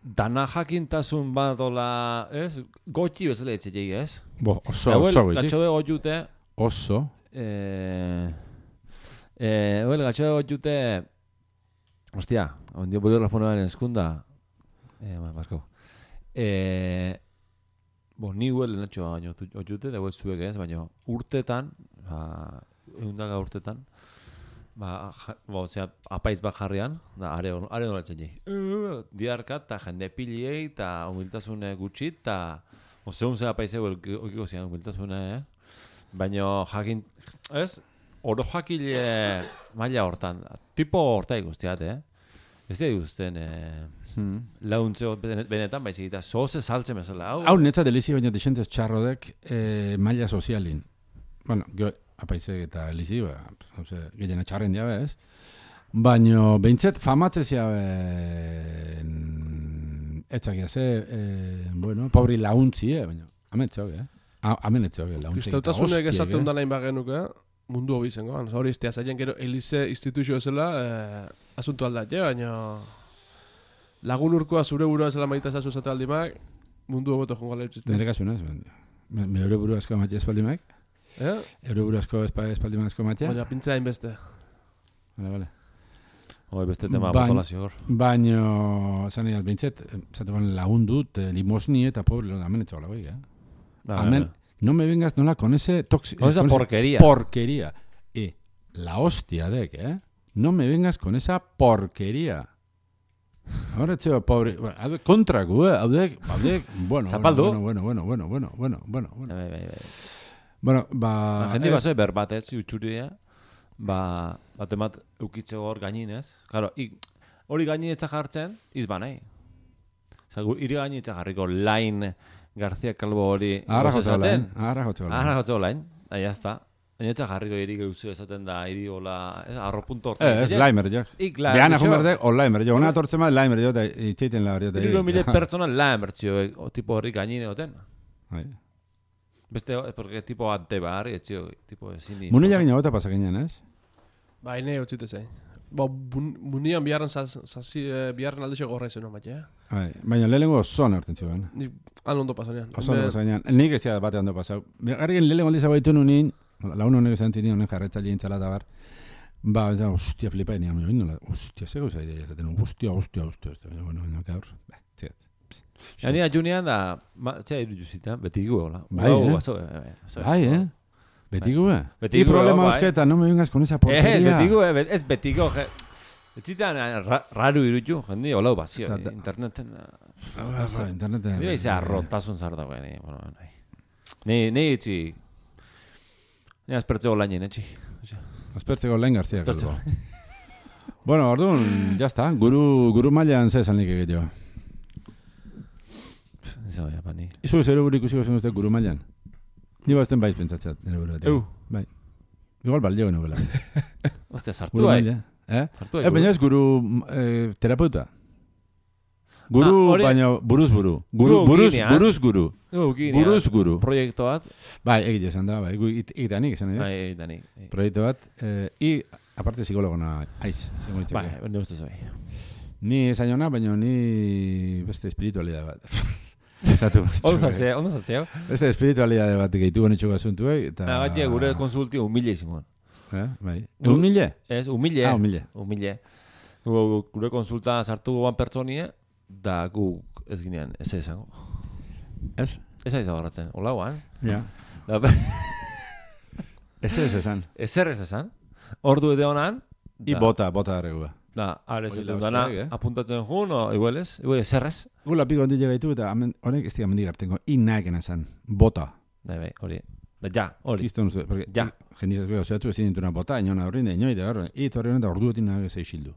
Dana jakintasun bat, hola, ez? Gotxi bezala etxetei, ez? Oso goitik. Gatxode gotxute... Oso. Gatxode gotxute... Hostia, ondio bode telefonoan eskunda... Basko. Ni huel natxo oiute, dagoet zuek ez, baina urtetan, egundaga urtetan, apaiz bat jarrian, are horatzen jai. Diarka, eta jende piliei, eta humiltasune gutxi, eta zeun ze apaizeu okiko zian humiltasune, baina jakin, ez, oro jakile maila hortan, tipo horta ikustiat, ez da ikusten launtzeo benetan, baizik eta zoze saltzen bezala. Hau netza delizi baina desentez txarrodek maila sozialin. Bueno, apaizek eta elizi, gehiena txarren diabe, ez? Baina, behintzet, famatze ziabe etzakia ze, bueno, pobri launtzi, baina, ametzeok, amenetzeok, launtzi. Kristautasunek esaten dalain bagenuke, mundu hobi zengo. Hori iztea zaien, gero elize instituzio ezela asuntu aldat, baina lagun urkoa zure burua ezela maita zazu zate aldimak, mundu hobeto jongo ala utxizte. Nire kasu, me eure buru asko matia espaldimak? Eure buru asko espaldimak asko matia? Baina pintzea inbeste. Vale. Beste tema botolazio hor. Baina, zan egin, bintzet, zate ban lagundut, limosni eta pobre, amen etxo gala goik, Amen. No me vengas con ese tóxico. Con esa porquería. Porquería. La hostia de no me vengas con esa porquería. Ahora, tío, pobre. Contra, bueno. Zapaldu. Bueno. Bueno, jende baso berbatez, utxuria, batemat eukitze hor gaininez. Claro, hori gaininetza jartzen, izbanai. Iri gaininetza jarriko lain García Calvo hori Ahora jotzeko lain. Ya está. Gainetza jarriko iri geuzio esaten da, iri hola, arropunto hortan. Ez laimer jo. Behan ajun berdek, o laimer jo. Ona atortzen ma laimer jo, eta itxeiten la hori. 3.000 persona laimer txio, tipo horri gainine hoten. Beste, porque tipo antebar, etxio, tipo ezin di. Munila gina gota pasakenean, ez? Ene hotxite zein. Munian biharren aldexo gorra izan hon bat, Baina lehenengo oso nartzen zioen. Han ondo pasanean. Oso ondo pasanean. Nik ez bate ondo pasau. Garrigen lehenengo aldiz abaitu nunin, laun honek esan zini honen jarretza lehen txala eta bar. Hostia, flipa enian. Hostia, zego zai dira. Hostia. Bueno, gaur. Ni Julian da, txea iruduzita, betik gola. Bai, Betigo, Y problema eusketa, no me vengas con esa porquería. Es betigo. Ez zitan raro irutu, jendi, holau bazio. Interneten. Interneten. Nire izan arrotasun zarda, Ni itzi. Ni aspertzeko lainen, etxi. Aspertzeko lain García. Bueno, orduan, ya está. Guru mailan zezan nik egiteo. Eso, ja, pani. Izu zero buru ikusiko zen dute guru mailan. Ni bazten baiz pentsatzeat, nire buru. Bai. Igual baldeo genuela. Ostia, sartu bai. Sartu bai. Baina ez guru terapeuta. Guru, baina buruz buru. Buruz guru. Buruz guru. Proiektu bat. Bai, egite esan da, bai. Egitanik esan da. Bai, egitanik. Proiektu bat. Aparte psikologona aiz. Bai, ne ustez bai. Ni esan jona, baina ni beste espiritualidad bat. Ondo saltzeo. Beste espiritualidad bat gehitu honetxo gasuntu, Baina gure konsulti humile izimon. Bai. Humile? Ez, humile. Humile. Humile. Gure konsulta sartu goan pertsonie, da guk ez ginean, ez esango. Ez? Ez aiz agarratzen, hola guan. Ja. Ez esan. Ez esan. Ordu edo honan. I bota arregua. Da, arez edo dana apuntatzen jun, o igual zerrez. Gula piko ondi llegaitu eta honek ez diga mendigartengo. Inaken esan. Bota. Bai, hori. Da, ja, hori. Kiston uste, porque ja. Jendizaz goa, oseatu ezin dintuna bota, inona horrein da, inoi da horrein. Torri honen da ordu etin nahi zeixildu.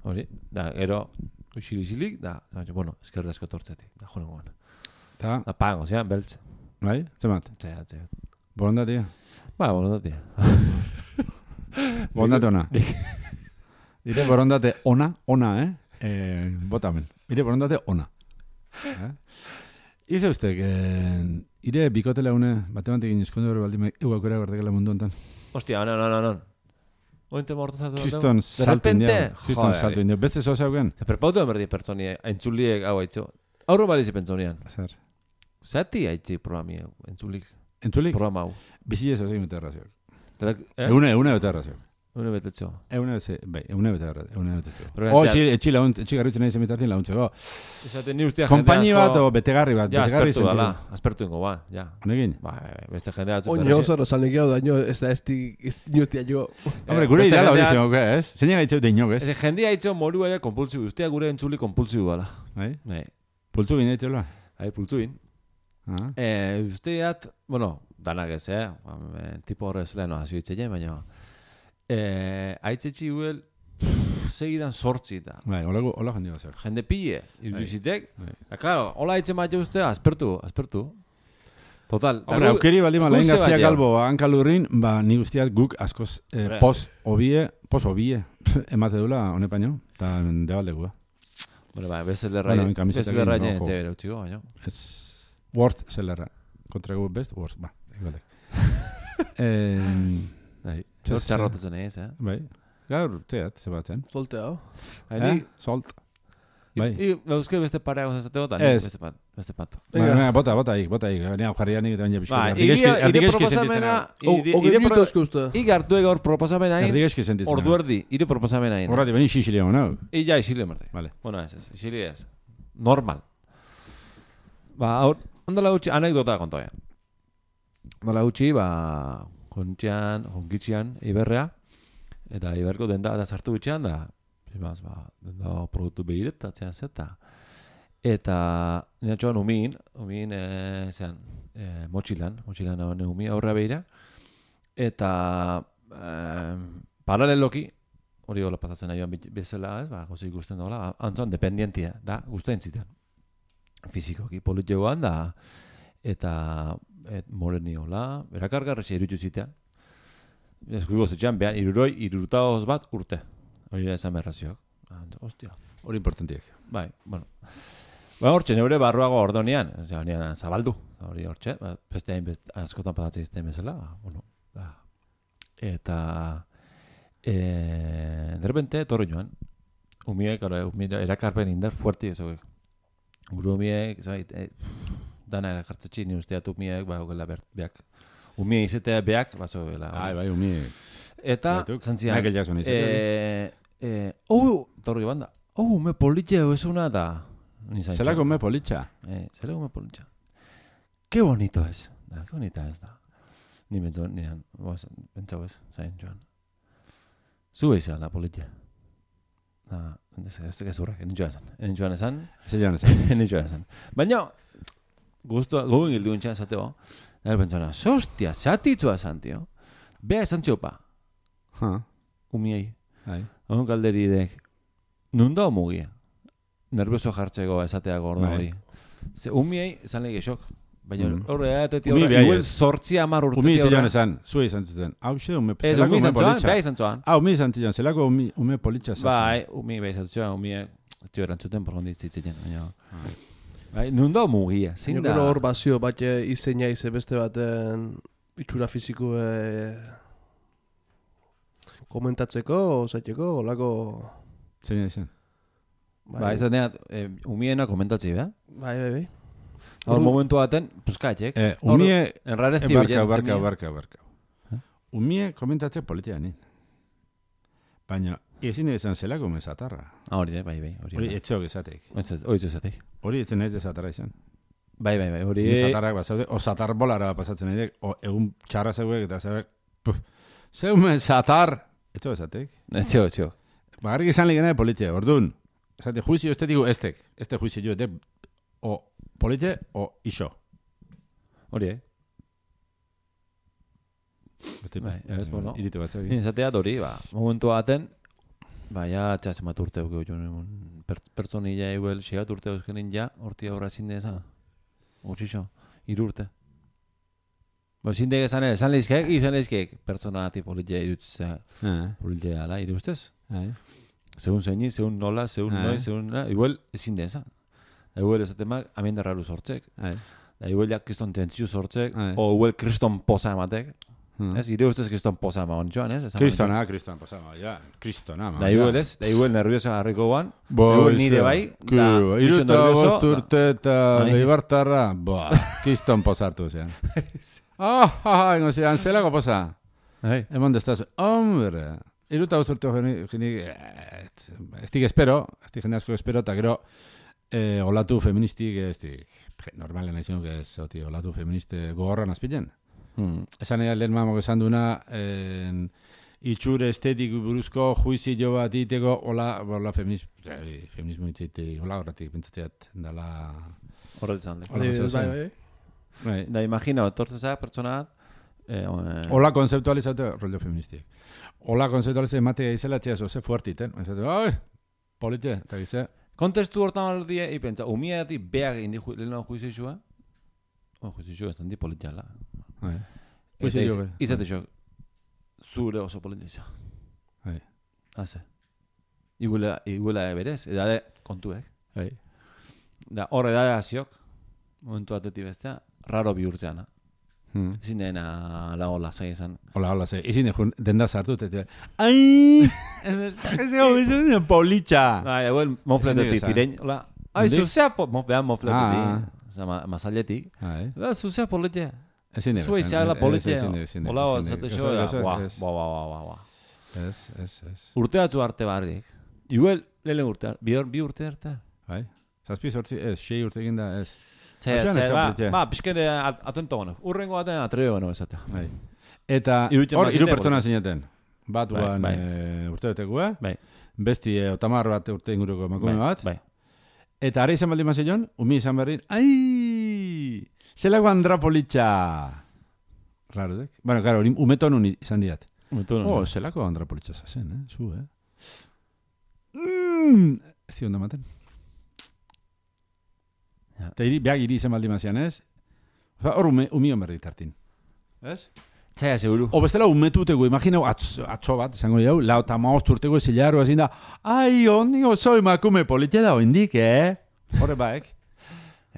Hori, da, gero, uxilixilik, da, bueno, eskerri asko tortzetik, da, jone goan. Da, pago, zean, beltz. Bai, zemat? Zeat. Borondatia? Ba, borondatia. Borondate ona. Ire borondate ona, botamen. Ire borondate ona. Ize uste, ire bikotela une, batemantekin eskonde hori baldime, eguakora gardekela mundu ontan. Ostia, no. Ointe morto saltu. Kriston saltu india. Beste zoza euken. Perpautu emerdi pertsonie, entzuliek hau haitzu. Aurro balizi pentsonian. Zer. Zati haitzi programi hau, entzulik. Entzulik? Programa hau. Bizi ez ozei mete errazioak. Eune bete errazioak. Eune betetxo. Eune bete errazioak. Etxi garritzen nahi zemitartien launtzeko. Esaten ni ustia Kompani bat o betegarri bat. Ja, aspertu ingo ba, ja. Honekin? Ba, beste jendea atzu. Oño oso rosalnekia daño, ez da ni ustia jo. Hombre, gure ideala hori zen, ez? Zeina gaitzeu deinok, ez? Ez jendea haitxo moru ere kompulsiu. Ustia gure entzuli kompulsiu bala. Bai? Pultu bin daitela? Bai, pultu bin. Usteat, bueno, danak ez, tipo horrez leheno hasi bitzeien, baina haitzetxi huel segidan sortzi da. Bai, hola jende bazak. Jende pille, irudizitek. Claro, hola haitze maite ustea, aspertu. Total. Hombre, aukeri baldima, Lain García Calvo hankalurrin, ba, ni guztiat guk askoz pos obie emate dula hone paino, eta debaldekua. Bueno, ba, bezelerra nien txebera utxiko, baina. Ez, Word zelerra. Kontra gu best, Word, ba, egaldek. Zor txarrotatzen ez, Bai. Gaur, teat, zebatzen. Soltea. Solt. Bai. Euske beste parea gozateko, eta beste pat. Bota ik. Nea jarria nik eta baina pixko. Ire proposamena... Ire minutu uste. Igartu gaur proposamena hain. Erdigeski sentitzen. Ordu erdi, ire proposamena hain. Horrati, beni xixile hau, no? Ja, xixile marte. Vale. Bueno, ez. Xixile ez. Normal. Ba, ondala gutxi, anekdota kontoia. Ondala gutxi, ba, jonkitxian, Iberrea, eta Iberko denda da sartu bitxean, da, denda produktu behiretatzen zeta. Eta, nina txoan umin, motxilan hone umi aurra behira, eta paraleloki, hori hola pasatzen aioan bezala, ez, ba, gozo ikusten dola, antzon, dependientia, da, guztien zitan. Fizikoki politxegoan da, eta moreni hola, berakargarretxe irutu zitean. Eskuiko zetxean, behan, irurutaoz bat urte. Hori da esan berrazioak. Ostia. Hori importantiak. Bai, bueno. Ba, hortxe, neure barruago ordonean, zabaldu. Hori hortxe, beste hain askotan patatzen izten bezala. Bueno, eta de repente, torri joan. Umiek, erakarpen indar fuerti ezagik. Guru umiek, dana erakartzetxi, ni usteat umiek, ba, ogela beak. Umie izetea beak, bazo gela. Bai, umiek. Eta, zantzian. Michael Jackson izetea. Torri banda. Me politxe ezuna da. Zelako me politxa. Zelako me politxa. Qué bonito es. Qué bonita es da. Ni bentzon, nian, bentzau ez, zain joan. Zue izan la politxe. Ez gezurrak, enen joan esan. Baina, gogoen gildu entxan zateo, nire pentsona, hostia, zatitzua esan, tio. Bea esan txopa. Umiei. Hon kalderi idek, nunda mugia. nervioso jartzeko esateako orda hori. Ze umiei esan lege xok. Baina horre edatetik igual 8-10 urtetik. Umi zilean esan, zue izan zuten. Hau xe, ume politxa. Bai izan zuan. Umi izan zilean, zelako ume politxa zazen. Bai, umi bai izan zuan, umi zio erantzuten porgondi zitzen. Bai, nundo mugia. Gero hor bazio bat izeina ize beste baten itxura fiziko komentatzeko, zaiteko, olako... Zeina izan. Bai, izan umiena komentatzi, bai? Bai. Hor momentu baten, puskatxek. Umie... Enrarezi Barka. Umie komentatzek politia nin. Baina, ezin izan zelako mesatarra. Hori, bai. Hori etxeok esatek. Hori esatek. Hori etzen ez desatarra izan. Bai, hori... Mesatarrak basaude, o satar bolara pasatzen edek, o egun txarra zeuek eta zeuek, zeu mesatar, etxeok esatek. Etxeok. Bagarrik izan ligena de politia, orduan, esate juizio estetiko estek, este juizio de o politia o iso. Hori, Bai, ez bueno. Iritu batzak. Izatea hori, momentu baten, ja txas emat urte eukeu pertsonilla eguel, xegat urte euskenin ja, hortia horra zinde ezan. Hortxixo, 3 urte. Zindeg esan lehizkeek, pertsona ati politia irutzea, politia ala, iruztez? Segun zeini, segun nola, segun noi, segun nola, igual ezin de ezan. Igual ezatemak, amendarralu sortzek. Igual ja kriston tentzio sortzek, o igual kriston posa ematek. Ez, ire ustez kriston posa emaon joan, ez? Kriston posa emaon, ja. Kristona, ma. Da igual ez, da igual nervioso harriko guan. Igual nire bai. Iruta bosturte eta leibartarra, kriston posartu zean. Ingo zean, zelako posa. Emon destaz, hombre. Iruta bosturte genik, estik espero, estik jende asko espero, eta gero, olatu feministik, normalen naizionuk ez, olatu feministe gogorran azpiten. Esan ega lehen mamok esan duna, itxure estetik buruzko juizi jo bat iteko, hola feminismo itxeitek, hola horretik pentsatzeat, dala... Horretzan. Bai. Da imagina, tortzezak pertsona hola konzeptualizatu rollo feministik. Hola konzeptualizatu ematea izelatzea ze fuertiten. Polite, eta gize... Kontestu hortan aldia, pentsa, umia ati beak indi lehena juizizua? Juizizua ez handi politiala. Izate xo, zure oso politiza. Haze. Iguela berez, edade kontuek. Da, hor edade aziok, momentu atetik bestea, raro bihurtzeana. Ezin dena la hola zei esan. Hola zei. Ezin denda sartut. Ai! Ez ego bizun politxa. Egoen mofletetik tirein. Hola. Ai, zuzea mofletetik. Mazaletik. Zuzea politxa. Ezin dena. Zue izagla politxa. Hola, zate xo. Ez. Urte batzu arte barrik. Igual, lehen urte. Bi urte arte. Bai. Zazpi sortzi, ez. 6 urte egin da, ez. Pizkene atento gano. Urrengo baten atreo gano esatea. Eta hor 3 pertsona zineten. Bat guan urte betekua. Besti otamar bat urte inguruko emakume bat. Eta ara izan baldin mazillon, umi izan berrin, ai! Zelako andrapolitxa! Raro, dek? Bueno, claro, umetonun izan diat. Zelako andrapolitxa zazen, zu, Ez zion da maten. Eta behag iri izan baldi mazian, ez? Hor umion berdi tartin. Ez? Txaia, seguru. O bestela umetuteko, imaginau atxo bat, izango jau, lau eta maosturteko zilarro ezin da, ai, ondi oso emakume politia da oindik, Horre baek.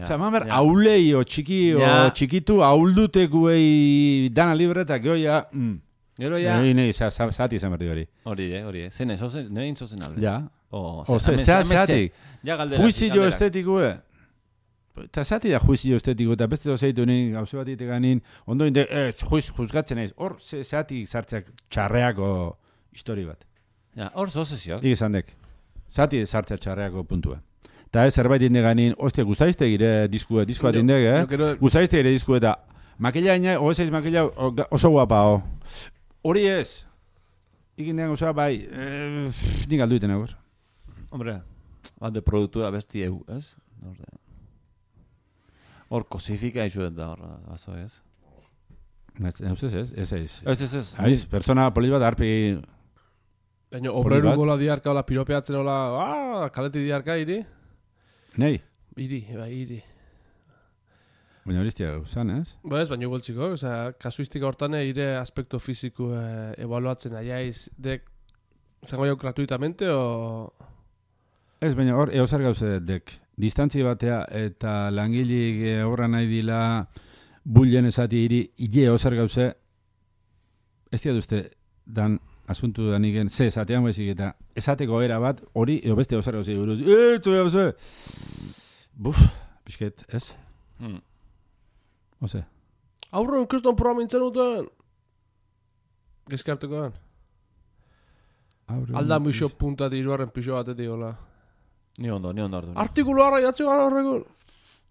Osa, mamer, aulei o txikitu, auldutekoei dana libre eta gehoia... Gero ja... Zati izan berdi hori. Hori, zene, nein zozen alde. Ja. Zati. Juizio estetikoe. Eta zati da juizio estetiko, eta beste dozeitu nien, gauze bat iteganin, ondo inde, juzgatzen naiz, hor zati zartzeak txarreako histori bat. Hor zozeziok. Dik esan dek, zati zartzeak txarreako puntua. Eta ez zerbait indeganin, ostia, guztaizte gire diskoa indeg, guztaizte gire diskoa eta makila ina, ezaiz makila oso guapa, hori ez, ikindean gauza bai, nik aldu iten egor. Hombre, bat de produktua besti egu, ez? Hor kosifika izu eta hor, bazo ez? Ez. Aiz, persona polit bat harpi... Baina, obreru gola diarka, hola piropeatzen, hola, kaleti diarka iri? Nei? Iri. Baina horiztia guzan, ez? Ba ez, baina boltziko, kasuistika hortan ire aspekto fiziko evaluatzen aiaiz, dek, zango jau gratuitamente, o... Ez, baina hor, eozar gauze dek. Distantzi batea eta langilik horra nahi dila bullen esati iri, ile eozar gauze, ez dira duzte, dan asuntu da nigen, ze esatean bezik eta esateko era bat, hori, edo beste eozar gauze buruz, buf, pixket, ez? Ose. Aurren, kriston programa intzen duten? Gezkartukoan? Aldan bixo puntat iruaren pixo batetik, hola. Ni ondo hartu. Artikulu harra jatzu gara horregun?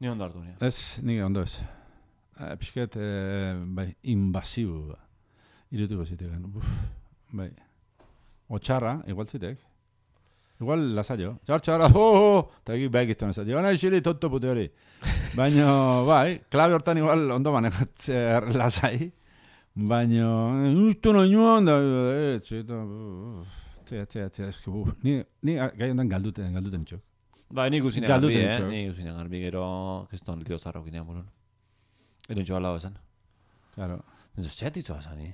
Ni ondo hartu. Ez, nire ondo ez. Pisket, bai, invasiu. Irutuko zitegan. Bai. Otxarra, igual zitek. Igual lasaio. Txarra, eta egin behar gizton ez. Gana isili tonto pute hori. Baina, bai, klabe hortan igual ondo manegatzer lasai. Baina, ustu noinoan da, eske ni gai ondan galduten txok. Ba, ni guzine garbi, ni guzine garbi, gero, keston lio zarro ginean burun. Ero txoa lau esan. Claro. Eso zeatitzoa esan, ni.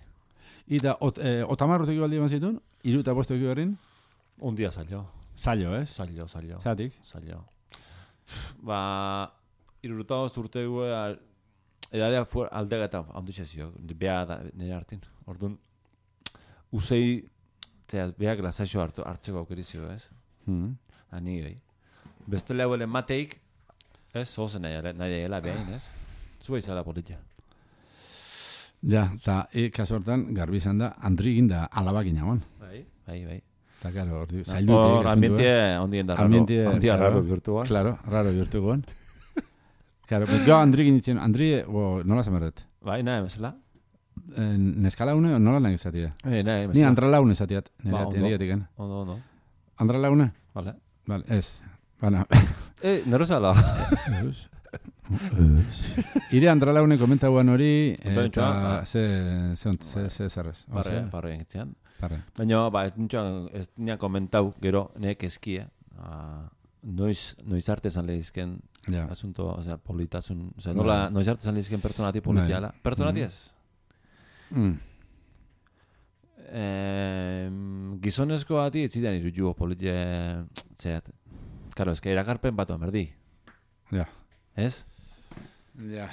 Ita, otamarrotek baldi eman zitun? Iru eta bostu eki berrin? Un dia salio. Salio, ez? Salio. Zatik? Salio. Ba, iruruta urte gue, edadea aldega eta handutxezio, beha da, nire hartin. Orduan, usei, behak lasaixo hartzeko aukerizio, ez? Ani gai. Beste lehuen mateik, ez? Ozen nahi dela behain, ez? Zua izala politia. Ja, eta kasu hortan, garbi izan da, Andri ginda alabak inagoan. Bai. Eta, karo, zaildutik. Ambientie ondien da raro. Ambientie raro bihurtuan. Claro, raro bihurtuan. Claro, gau Andri ginditzen, Andri, nola zamerret? Bai, nahi, mesela? Neskala une, nola nahi izatea? Nahi, mesela. Ni Andra laune izateat, nire gatiken. Ondo. Andra laune? Vale, ez. Bana. Nerozala. Ire Andra laune komentauan hori, eta ze zerrez. Parre engitzean. Baina, ez nian komentau, gero, nek eskia, noiz arte zan lehizken asunto, politasun, nola, noiz arte zan lehizken pertsonati politiala. Pertsonati ez? Gizonezko bati etzidean irujugo politia, zeat, karo, ezke erakarpen batu amerdi. Ja. Ez? Ja.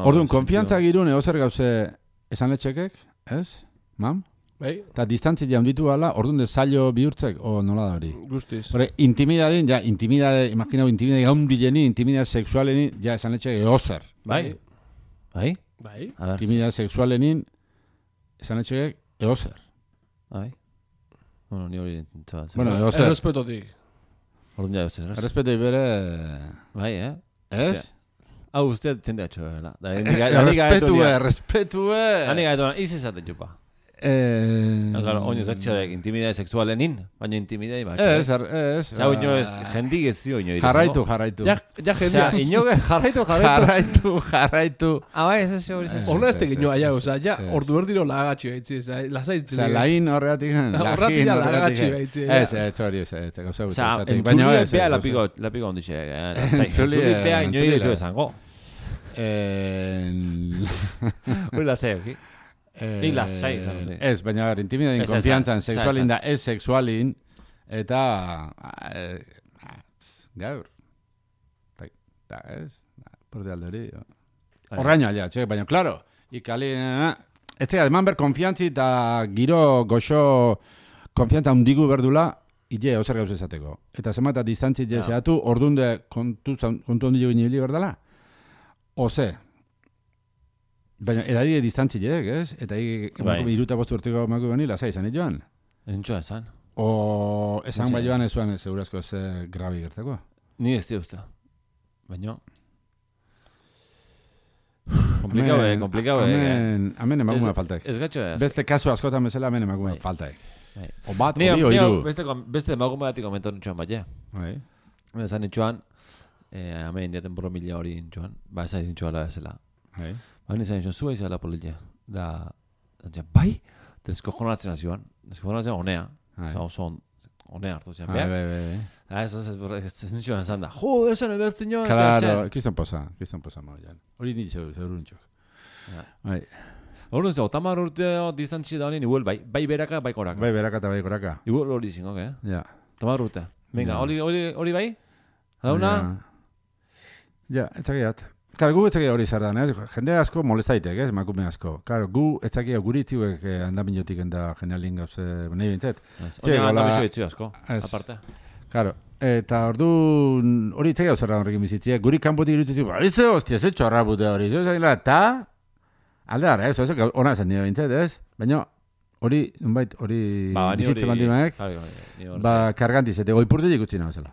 Orduan, konfiantza girun eozer gauze esan letxekek, ez? Mam? Bai. Eta distantzia jaunditu gala, orduan de zailo bihurtzek, o nola da hori? Guztiz. Intimidadin, imaginau, intimidade gaundileni, intimidade sexualeni, ja esan letxekek eozer. Bai? Intimidade sexualenin, esan letxekek eozer. Bai? Bueno, ni hori nintzen. Bueno, eozer. Errespetotik. Orduan ja eozer. Errespetoi bere... Bai, Ez? Hau, uste tende atxo, la. Respetue. Hani gaetuan, izi zaten jupa. Oino zatxadek intimidade sexualenin, baina intimidade bat. Ez. Zau, ino ez, jendik ez zio, ino. Jarraitu. Ja jendia. Inoge, jarraitu. Bai, ez hori zen. Ona ez tegin aia, ja, ordu erdiro lagagatxi baitzi, lasaitzen. Osa, lain horregatik. Horregatik lagagatxi baitzi. Ez hori, ez gauza gutxe. Osa, entzulie bea lapiko onditxe. Entzulie bea ino irezu esango. Hori lasai, oki? Ez, baina intimidadin konfiantzan, sexualin da, ez sexualin, eta gaur. Eta ez, porte alde hori. Horraino alia, txek, baina, klaro, ikali, ez tega, eman ber konfiantzi eta giro goxo konfiantza hundigu berdula, ide, ozer gauz ezateko. Eta zemata distantzi jezeatu, ordunde kontu ondilu ginibili berdala? Oze, baina edari distantzileek, ez? Eta iruta bostu urteko maku bani, lasai izan joan? Entxoa esan. O esan bai joan ez zuen segurazko ez grabi gertako? Ni ez usta. Baina... Komplikau, Hemen emakume faltaek. Ez gatxo ez. Beste kasu askotan bezala hemen emakume faltaek. O bat, hori, oiru. Beste emakume batik komentan nintxoan bat, Bai. Esan nintxoan, hemen diaten borromila hori nintxoan, ba esan nintxoala bezala. Bai. Baina izan nintxoan, zua izan la politia. Bai, deskojonatzen nazioan. Deskojonatzen honea. honea hartu zen, Bai. Ez nitxoan esan da, jo, esan ebertzen joan. Claro, kriston posa mauan. Hori nintzen, zeuruntzok. Bai. Horren zau, tamar urte distantzi da honin, igual, bai beraka, bai koraka. Bai beraka eta bai koraka. Igual hori zingok, Ja. Tamar urte. Venga, hori bai? Dauna? Ja, etzakiat. Karo, gu etzakia hori zardan, jende asko molestaitek, emakume asko. Karo, gu etzakia guritziuek handaminotik enda genialin gauze, nahi bintzet. Hori handamizio etxio asko, aparte. Karo, eta ordu hori etzakia zardan horrekin bizitziak, guri kanpotik irutzizik, balitze, hostia, ze txorra bute hori, eta aldear, ona esan dira bintzet, baina hori bizitze baldimaek, kargantizete, goi purtu ikutzi nahi bezala.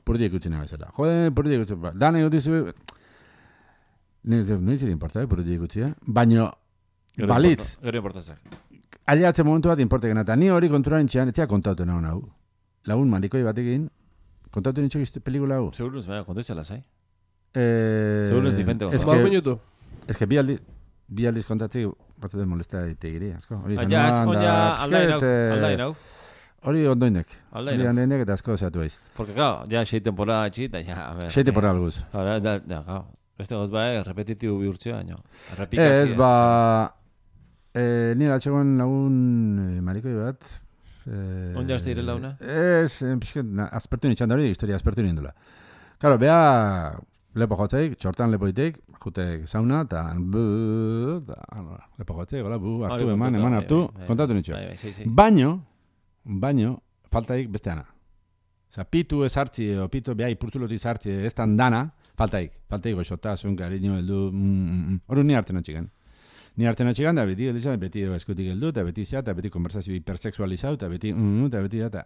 Purtu ikutzi nahi bezala. Jode, purtu ikutzi, dana ikutzi no dice importa, purtu ikutzi, baina balitz. Gero importazak. Aliatzen momentu bat importa genata. Ni hori konturaren txean, etzea kontatu nahi hau. Lagun marikoi batekin, kontatu nintxok pelikula hau. Seguruz, kontatu izala, zai? Seguruz difente. Ez que bi aldiz kontatzik, batu den molesta ditegiri, asko. Aldain hau. Hori ondoinek. Hori ondoinek eta asko zeatu eiz. Porque, claro, ya 6 temporada txita, ya... 6 temporada guz. Ja, claro. Beste goz repetitibu bihurtzea, baina. Ez, nire atxegoen lagun marikoi bat. Onde azte direla una? Ez, aspertu nintxan da hori, historia aspertu nindula. Karo, beha lepo jotzeik, txortan lepo ditek, jutek sauna, eta lepo jotzeik, hartu, eman hartu, kontatu nintxo. Baino, faltaik besteana. Osa, pitu ez hartzi, o pitu behai purtzuloti zartzi, ez tan dana, faltaik goxota, zunka, ritmo heldu, hori ni hartzen atxigan. Ni hartzen atxigan, da beti eskutik heldu, eta beti zea, eta beti konversazio hipersexualizau, eta beti, eta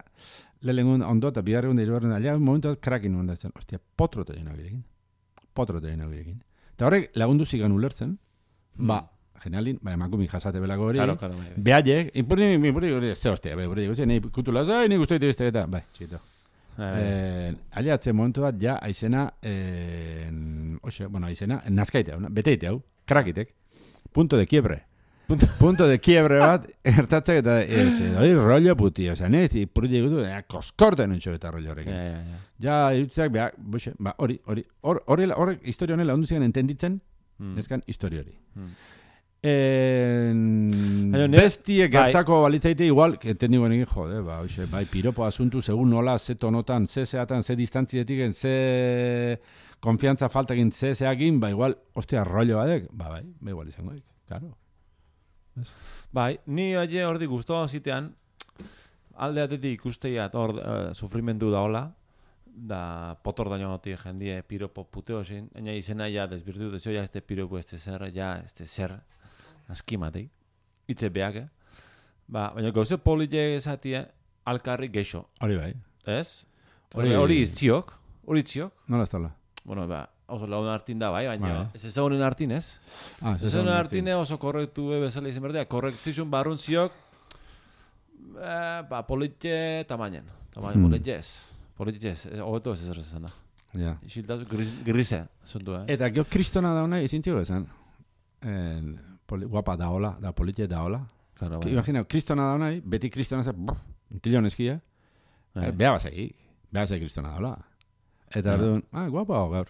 lehengun ondo, eta biharregun da irugarren, alia, momentu bat krakin nuen da zen, ostia, potrote dena girekin. Eta horrek lagundu zigan ulertzen, genialin, emakumik jasate belako hori, behaiek, ipurri, ze hostia, nahi kutula, nahi guztoite beste, eta, txito. Aliatzen momentu bat, ja, aizena, nazkaite hau, beteite hau, krakitek, punto de quiebre bat, ertatzak eta, hori rollo puti, oza, nez, ipurri gutu, koskorten nintxo eta rollo horrekin. Ja, irutzak, horrek historia honela ondu ziren entenditzen, nezkan historia hori. Bestie gertako balitzaite igual, entendi guen egin, jode, bai, piropo asuntu, segun nola, ze tonotan, ze zeatan, ze distantzietik, ze konfiantza faltakin, ze zeakin, igual, ostia, rollo badek, bai, igual izango dik, claro. Bai, ni aie hordi guztua zitean, alde atetik ikusteiat hor sufrimendu da hola, da potor daño noti jendie piropo puteo zin, ena izena ja desbirtu dezio, ja este piropo este zer, askimatei, itze beak, baina gauze polite esatie alkarri geixo. Hori bai. Ez? Hori izziok, Nola ez tala? Bueno, oso lagun hartin da bai, baina ez ezagunen hartin ez? Ez ezagunen hartine oso korrektu bezala izan berdea, korrektizun barrun ziok, polite tamainen, polite ez, hobeto ez ezan da. Isiltazu, grise, zuntu, Eta gio kristona dauna izintziko ezan? Guapa daola, da polite daola. Imagina, kristona dauna, beti kristona zen, untilon eskia, beha bazai kristona daola. Eta ardun, guapa hau gaur.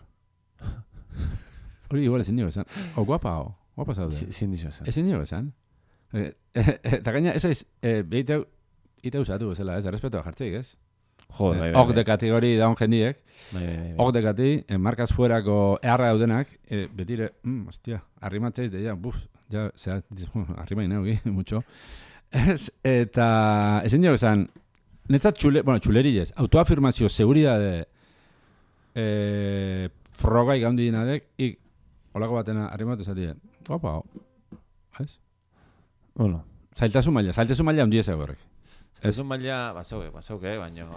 Hori igual ezin dio ezan. Guapa zaude. Ezin dio ezan. Eta gaina, ez aiz, ite usatu bezala, ez, respetua jartzeik, ez? Ok de kategori daun jendiek. Ok de kati, markaz fuerako eharra daudenak, betire, hostia, arrimatzeiz de ya, ja, arrimain neugi, mucho. Eta, ezin dio esan, netzat txuleri ez, autoafirmazio, seguridade, frogai gaundi dinadek, olako batena arrimatu zatie, guapa, ez? Bueno. Zailtasun maila handia ez horrek. Zailtasun maila, bazauke, baina,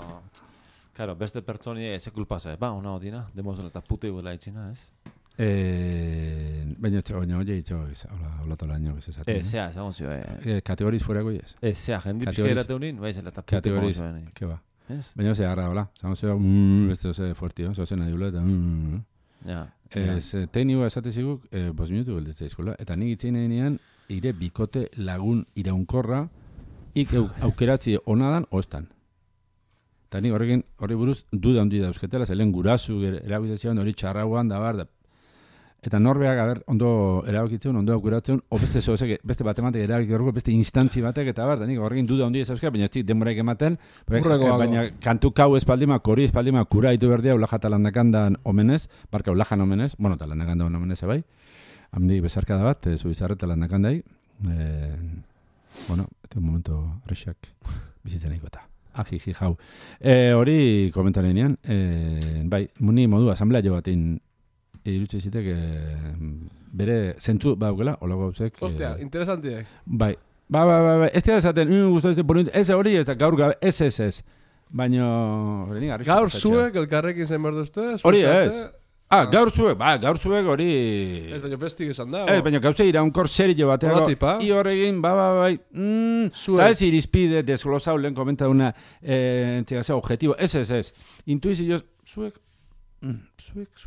claro, beste pertsoni eze kulpasa, ona odina, demozela eta pute guela itxina, ez? Baina oie itxo, hola tola año, ez esaten. Zea, segon zio, kategoriz fuerako ez? Zea, jendi pixka erate honin, baizela eta pute kategoriz, ke ba. Baina ose agarra, hola, segon zio, beste ose fuertio, zozen adiula, eta teknikoa esate ziguk, 5 minutu gelditzea izkola, eta nik itzein eginean, ire bikote lagun iraunkorra, ik aukeratzi onadan, ostan. Eta nik horri buruz duda handi dauzketela, zelen gurasu erabizatzen hori txarrauan da bar, eta norbeak ondo erabakitzen, ondo aukuratzen, o beste batematek erabaki horreko, beste instantzi batek, eta bar, da nik horrekin duda handi dauzketela, baina ez dik denboraik ematen, baina kantu kau espaldima, kori espaldima, kura ditu berdia, ulaja talandakandan omenez, barka ulajan omenez, bueno, talandakandan omenez, bai, hamdi bezarka da bat, zubizarre talandakandai, bueno, este momento rexak bizitzen ikota. Aji, jau. Hori komentaren enean, bai, muni modu asamblea jo batin irutxe zitek bere zentzu baukela, olago gauzek. Hostia, interesantiek. Bai, ez dira esaten, ez hori ez da gaur gabe, ez. Baina, gaur zuek elkarrekin zen berduzte? Hori ez. Gaur zuek hori... Ez baina bestik esan da. Ez baina gauze iraunkor serio bateago. I horregin, bai. Eta ez irizpide desglosau lehen komenta una objetivo. Ez. Intuizioz, zuek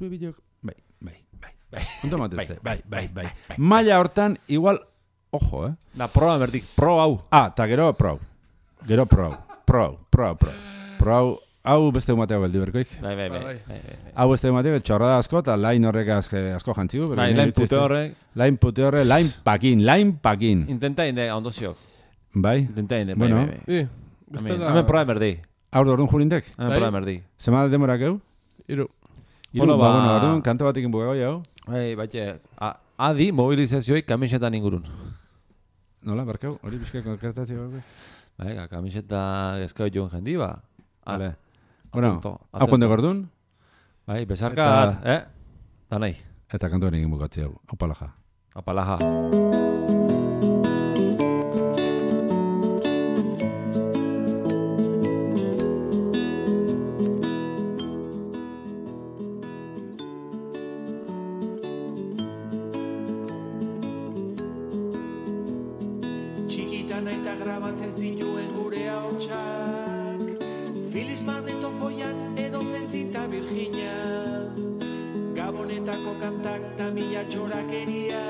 bideok, bai. Ondo matezte, bai. Maila hortan, igual, ojo, Da, proa berdik, pro hau. Eta gero pro. Hau beste umateago beldi berkoik. Bai. Hau beste umateago txorrada asko, eta lain horrek asko jantzigu. Lain pute horrek. Lain pakin. Intenta inde, ondo ziok. Bai. Bueno. Hemen proa berdi. Hau da orduan jurintek? Hemen proa berdi. Zema demorak eu? Iru, orduan, kanto batekin bugau jau. Baite, adi mobilizazioi kamisetan ingurun. Nola, barkau? Hori bizka konkretazio gaur? Bai, kamiseta eskau joan jendi, ba. Vale. Bueno, hau konde gordun? Bai, besarkat, da nahi. Eta kantoan egin bukatzi hau. Apalaja. Txikitan aita grabatzen zituen gure ahotsak, Filiz magnetofoian edo zenzita Virginia, Gabonetako kantak ta mila txorakeria,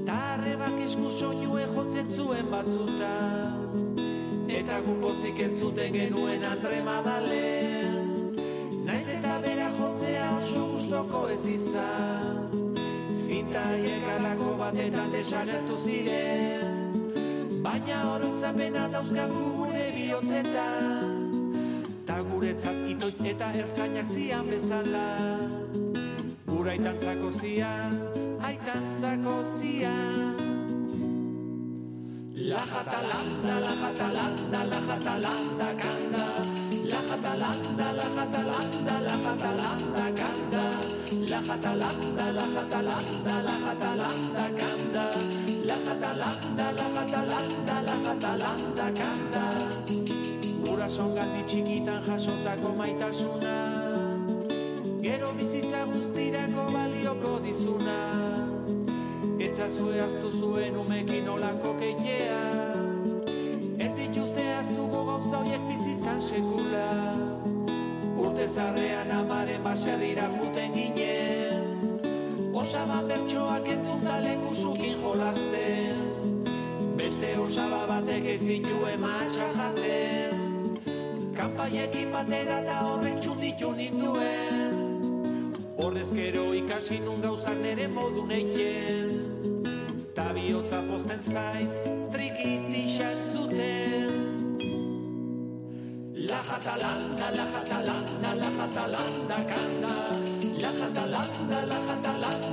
ta arrebak esku soinue jotzen zuen batzuta, eta gunpozik entzuten genuen Andre Madalen, naiz eta bera jotzea oso gustoko ez izan, zintaiek alako batetan desagertu ziren, baina oroitzapena dauzkagu gure bihotzetan, ta guretzat itoiz eta ertzainak zian bezala, gura aitantzako zian. La jatalanda kanda, la jatalanda kanda, la jatalanda kanda, la jatalanda kanda. Gurasoengatik txikitan jasotako maitasuna, gero bizitza guztirako balioko dizuna, etzazue aztu zuen umekin olako keitea, ez dituzte aztuko gauza horiek bizitzan sekula, urte zarrean amaren baserrira juten ginen, osaban bertsoak entzunta lengusukin jolasten, beste osaba batek etzitue matxa jaten, kanpaiekin batera eta horrek txunditu ninduen, horrez gero ikasi nun gauzak nere modu neiten, ta bihotza posten zait trikitixan zuten. La jatalanda kanda, la jatalanda kanda, la jatalanda kanda, la jatalanda